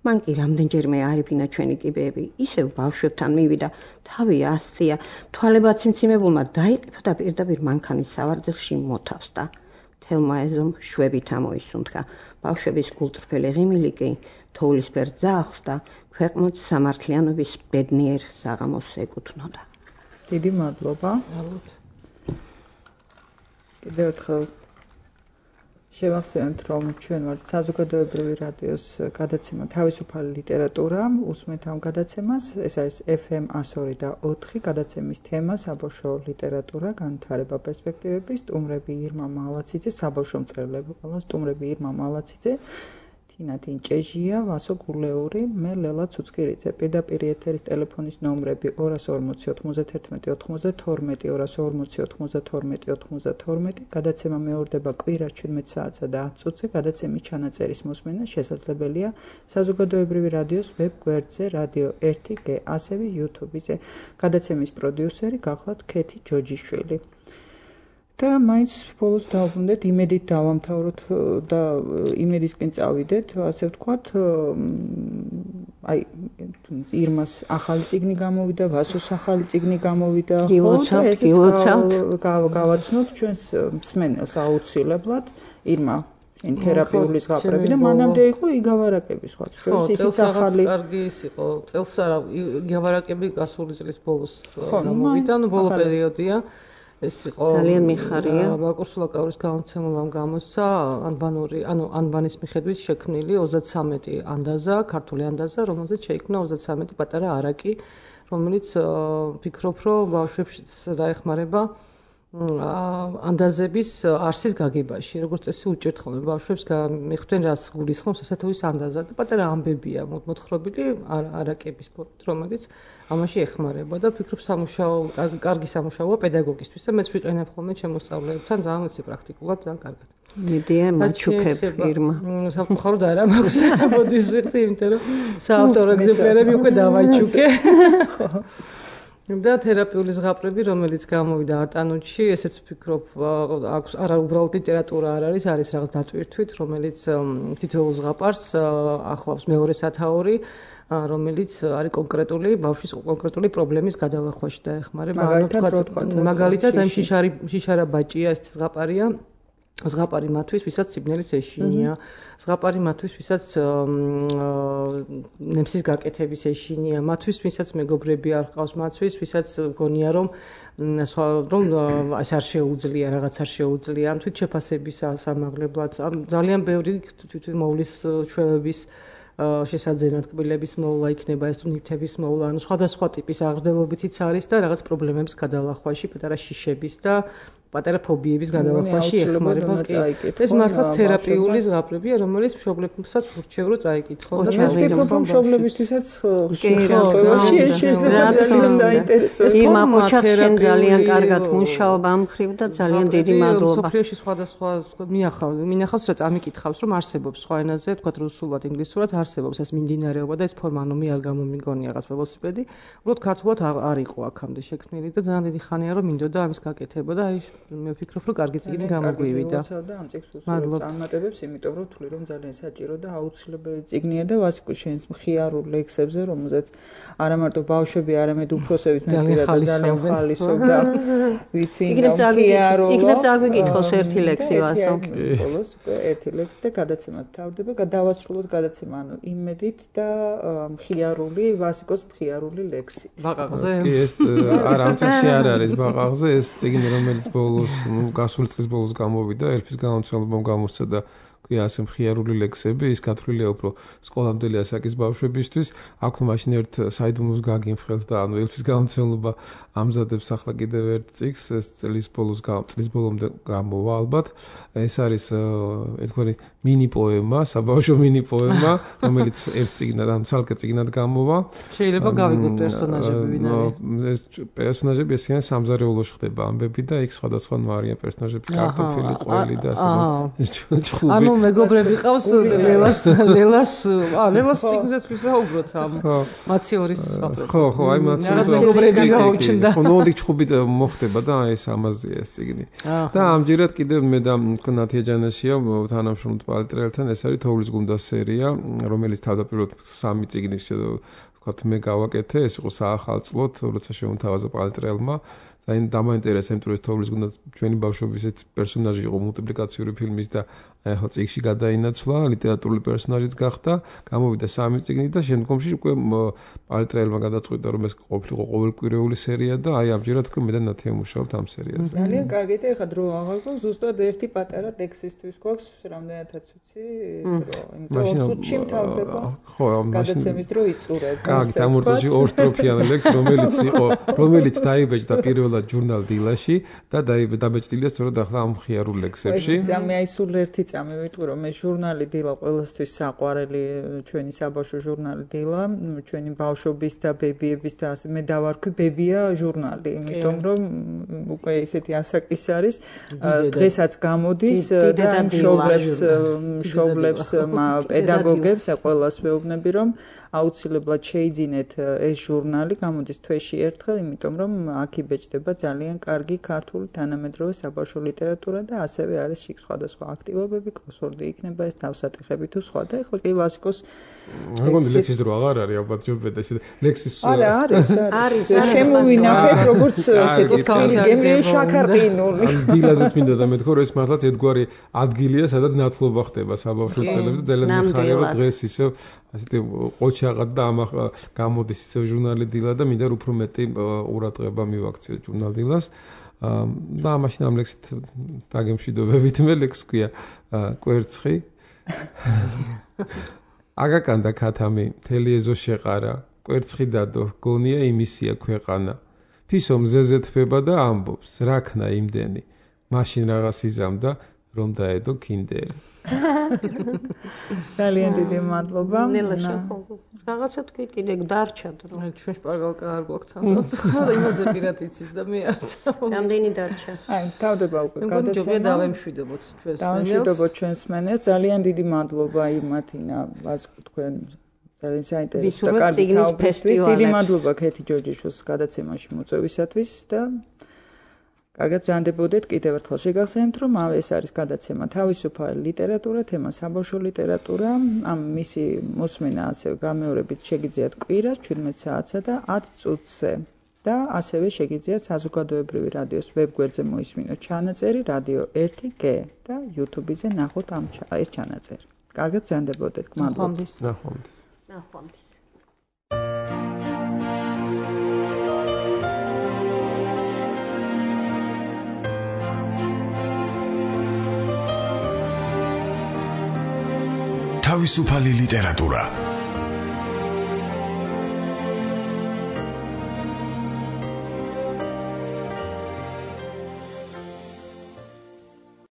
მან კი რამდენჯერმე არიფინა ჩვენი კიბეები, ისევ ბავშვებთან მივიდა, თავი ასწია, თვალებაც მციმებულმა დაიყიფა და პირდაპირ მანქანის სავარძელში მოთავსდა. მთელმა ეზომ შვებით ამოისუნთქა. ბავშვების გულწრფელი ღიმილი კი თოვლისფერ ძაღლს და ქვეყნოთ სამართლიანობის ბედნიერ საღამოს ეკუთვნოდა. დიდი მადლობა. კიდევ ერთხელ შევახსენოთ, რომ ჩვენ ვართ საზოგადოებრივი რადიოს გადაცემა თავისუფალი ლიტერატურა, უსმენთ ამ გადაცემას, ეს არის ეფ ემ εκατო ორი და ოთხი, გადაცემის თემა საბავშვო ლიტერატურა, განვითარება პერსპექტივები, სტუმრები ირმა მალაციძე, საბავშვო მწერლები ყველა, სტუმრები ირმა მალაციძე, თინა თინჭეჟია, ვასო გულეური, მე ლელა ცუცკირიძე. პირდაპირ ეთერის ტელეფონის ნომრები ორას ორმოცი ოთხმოცდათერთმეტი ოთხმოცდათორმეტი, ორას ორმოცი ოთხმოცდათორმეტი ოთხმოცდათორმეტი, გადაცემა მეორდება კვირას შვიდმეტ საათსა და ათ წუთზე, გადაცემის ჩანაწერის მოსმენა შესაძლებელია საზოგადოებრივი რადიოს ვებ გვერდზე რადიო ერთი გე, ასევე იუთუბზე. გადაცემის პროდიუსერი გახლავთ ქეთი ჯოჯიშვილი. და მაინც ბოლოს დავუბრუნდეთ, იმედით დავამთავროთ და იმედისკენ წავიდეთ, ასე ვთქვათ, აი ირმას ახალი წიგნი გამოვიდა, ვასოს ახალი წიგნი გამოვიდა, ხო, და ესეც გავაცნოთ ჩვენს მსმენელს აუცილებლად, ირმა შენ თერაპიული ზღაპრები და მანამდე იყო იგავარაკები სხვა ჩვენს ისიც ახალი კარგი ის იყო წელს არა იგავარაკები გასული წლის ბოლოს გამოვიდა ნუ ბოლო პერიოდია ეს იყო ძალიან მიხარია ბაკურ სულაკაურის გამოცემამ გამოსცა ანბანური ანუ ანბანის მიხედვით შექმნილი ოცდათსამეტი ანდაზა ქართული ანდაზა რომელზეც შეიქმნა ოცდათსამეტი პატარა არაკი რომელიც ფიქრობ რომ ბავშვებს დაეხმარება ანდაზების არსის გაგებაში როგორც წესი უჭერთ ხოლმე ბავშვებს მიხვდნენ რას გულისხმობს ასეთუის ანდაზა და პატარა ამბებია მოთხრობილი არაკების რომელიც ამაში ეხმარება და ფიქრობ სამუშაო კარგი სამუშაოა პედაგოგისთვის და მეც ვიყენებ ხოლმე შემოსწავლეებთან ძალიან ვიცი პრაქტიკულად ძალიან კარგად მედია მაჩუქებ ირმა სამხაროდ არა მაქვს მოდის ვიხდი იმიტომ რომ საავტორო ეგზემპლარები უკვე დავაჩუქე ხო და თერაპიული ზღაპრები, რომელიც გამოვიდა არტანუთში, ესეც ვფიქრობ, აქვს არა უბრალოდ ლიტერატურა არ არის, არის რაღაც დატვირთვით, რომელიც თითოეულ ზღაპარს ახლავს მეორე სათაური, რომელიც არის კონკრეტული ბავშვის კონკრეტული პრობლემის გადალახვაში დაეხმარება. მაგალითად, ამ შიშარი შიშარა ბაჭია ეს ზღაპარია. ზღაპარი მათთვის, ვისაც სიბნელის ეშინია, ზღაპარი მათთვის, ვისაც ნემსის გაკეთების ეშინია, მათთვის, ვისაც მეგობრები არ ყავს, მათთვის, ვისაც გონია რომ რომ ეს არ შეუძლია, რაღაც არ შეუძლია, ამ თვით შეფასების სამაღლებლად, ძალიან ბევრი თვითონ მოვლის ჩვევების შესაძენად კბილების მოვლა იქნება ეს თუ ნივთების მოვლა, ანუ სხვადასხვა ტიპის აღრძელობითიც არის და რაღაც პრობლემების გადალახვაში, პატარა შიშების და პატარა ფობიების გადალახვაში ეხმარება ეს მართლაც თერაპიული ზღაპრებია რომელიც მშობლებსაც ურჩევ რომ წაიკითხონ და ფიქრობ მშობლებისთვისაც ხშირი შეიძლება საინტერესო ირმა ოჩახშენ ძალიან კარგად მუშაობ ამ ხრივ და ძალიან დიდი მადლობა სოფლიოში სხვადასხვა მიახავ მინახავს რა წამიკითხავს რომ არსებობს სხვა ენაზე თქვა რუსულად ინგლისურად არსებობს ეს მიმდინარეობა და ეს ფორმა ანუ მე არ გამომიგონია რაღაც ველოსიპედი უბრალოდ ქართულად არ იყო აქამდე შექმნილი და ძალიან დიდი ხანია რომ მინდოდა ამის გაკეთება და აი მე ვფიქრობ რომ კარგი წიგნი გამოგვივიდა. ამ წიგნს წარმატებებს, იმიტომ რომ თვლი რომ ძალიან საჭირო და აუცილებელი წიგნია და ვასიკო შენს მხიარულ ლექსებზე, რომელზეც არა მარტო ბავშვები, არამედ უფროსებიც მეპირად ძალიან ხალისობდა. ვიცი, მხიარო. იქნებ წაგვიკითხოს ერთი ლექსი ვასო. ბოლოს ერთი ლექსი და გადაცემა თავდება, გადავასრულოთ გადაცემა, ანუ იმედით და მხიარული ვასიკოს მხიარული ლექსი. ბაყაყზე? კი, ეს არა ამ წიგნში არ არის ბაყაყზე, ეს წიგნი რომელიც ბოლოს გასული წლის ბოლოს გამოვიდა, ელფის გამომცემლობამ გამოსცა და კი ასე მხიარული ლექსები, ის გათვლილია უფრო სკოლამდელი ასაკის ბავშვებისთვის. აქვე მაშინ ერთ საიდუმლოს გაგიმხელთ და ანუ ელფის გამომცემლობა ამზადებს ახლა კიდევ ერთ წიგნს, ეს წლის ბოლოს წლის ბოლომდე გამოვა ალბათ. ეს არის ერთგვარი მინი პოემა, საბავშვო მინი პოემა, რომელიც ერთ წიგნად, ანუ ცალკე წიგნად გამოვა. შეიძლება გავიგოთ პერსონაჟები ვინ არის. ეს პერსონაჟები ესეა სამზარეულოში ხდება ამბები და იქ სხვადასხვა არიან პერსონაჟები, კარტოფილი, ყველი და ასე. ეს ჩხუბი. ანუ მეგობრები ყავს ლელას, ლელას, აა ლელას წიგნზეც ვისაუბროთ ამ მაციორის საფრთხე. ხო, ხო, აი მაციორის მეგობრები გაუჩნდა. ხო, ნუ ჩხუბი მოხდება და ეს ამაზეა ეს წიგნი. და ამჯერად კიდევ მე და ნათია ჯანაშია თანამშრომლობთ პალიტრელთან, ეს არის თოვლის გუნდას სერია, რომელიც თავდაპირველად სამი წიგნის ვთქვათ მე გავაკეთე, ეს იყო საახალწლოდ, როცა შეუმთავაზა პალიტრელმა. და დამაინტერესა იმიტომ რომ თოვლის გუნდაც ჩვენი ბავშვობის ეს პერსონაჟი იყო მულტიპლიკაციური ფილმის და ახლა წიგნში გადაინაცვლა, ლიტერატურული პერსონაჟიც გახდა, გამოვიდა სამი წიგნი და შემდგომში უკვე პალიტრელმა გადაწყვიტა რომ ეს ყოფილიყო ყოველკვირეული სერია და აი ამჯერად უკვე მე და ნათია მუშაობთ ამ სერიაზე. ძალიან კარგი და ეხლა დრო აღარ გვაქვს, ზუსტად ერთი პატარა ლექსისთვის გვაქვს, რამდენადაც ვიცი, დრო, იმიტომ რომ წუთში მთავრდება. ხო, მაშინ გადაცემის დრო იწურებ. კარგი, დამორწმუნდი ორ სტროფიანი ლექსი, რომელიც იყო, რომელიც დაიბეჭდა პირველად ჟურნალ დილაში და დაბეჭდილია სწორედ ახლა ამ მხიარულ ლექსებში. მე აი სულ ერთი წამი ვიტყვი რომ მე ჟურნალი დილა ყველასთვის საყვარელი ჩვენი საბავშვო ჟურნალი დილა, ჩვენი ბავშვობის და ბებიების და ასე მე დავარქვი ბებია ჟურნალი, იმიტომ რომ უკვე ისეთი ასაკის არის, დღესაც გამოდის და მშობლებს მშობლებს პედაგოგებს ყველას ვეუბნები რომ აუცილებლად შეიძინეთ ეს ჟურნალი, გამოდის თვეში ერთხელ, იმიტომ რომ აქ იბეჭდება ძალიან კარგი ქართული თანამედროვე საბავშვო ლიტერატურა და ასევე არის იქ სხვადასხვა აქტივობები, კროსვორდი იქნება ეს თავსატეხები თუ სხვა და ეხლა კი ვასიკოს მეგონი ლექსის დრო აღარ არის ალბათ ჯობედა ესე ლექსის არა არის არის შემოვინახეთ როგორც ესეთი გემი შაქარყინული დილაზეც მინდა და მეთქო რომ ეს მართლაც ერთგვარი ადგილია სადაც ნათლობა ხდება საბავშვო წელებში და ძალიან მიხარია დღეს ისევ ასეთი ყოჩაღად და ამ გამოდის ისევ ჟურნალი დილა და მინდა უფრო მეტი ყურადღება მივაქციოთ ჟურნალ დილას და მაშინ ამ ლექსით დაგემშვიდობებით მე ლექს ქვია კვერცხი აგაკანდა ქათამი მთელი ეზო შეყარა კვერცხი დადო გონია იმისია ქვეყანა ფისო მზეზე თბება და ამბობს რა ქნა იმდენი მაშინ რაღაც იზამდა რომ დაედო კიდელი ძალიან დიდი მადლობა ნელა შეხო რაღაცა თქვი კიდე დარჩა დრო ჩვენ შპარგალკა არ გვაქვს თამბა იმაზე პირად იცის და მე არ რამდენი დარჩა აი თავდება უკვე გადაცემა ჯობია დავემშვიდობოთ ჩვენს მენელს დავემშვიდობოთ ჩვენს მენელს ძალიან დიდი მადლობა იმათინა ვასკუ თქვენ ძალიან საინტერესო და კარგი საუბრისთვის დიდი მადლობა ქეთი ჯორჯიშვილს გადაცემაში მოწვევისათვის და კარგად ჯანდებოდეთ კიდევ ერთხელ შეგახსენებთ რომ ეს არის გადაცემა თავისუფალი ლიტერატურა თემა საბავშვო ლიტერატურა ამ მისი მოსმენა ასევე გამეორებით შეგიძლიათ კვირას ჩვიდმეტ საათსა და ათ წუთზე და ასევე შეგიძლიათ საზოგადოებრივი რადიოს ვებგვერდზე მოისმინოთ ჩანაწერი რადიო ერთი გ და YouTube-ზე ნახოთ ამ ეს ჩანაწერი კარგად ჯანდებოდეთ მადლობა ნახვამდის ნახვამდის თავისუფალი ლიტერატურა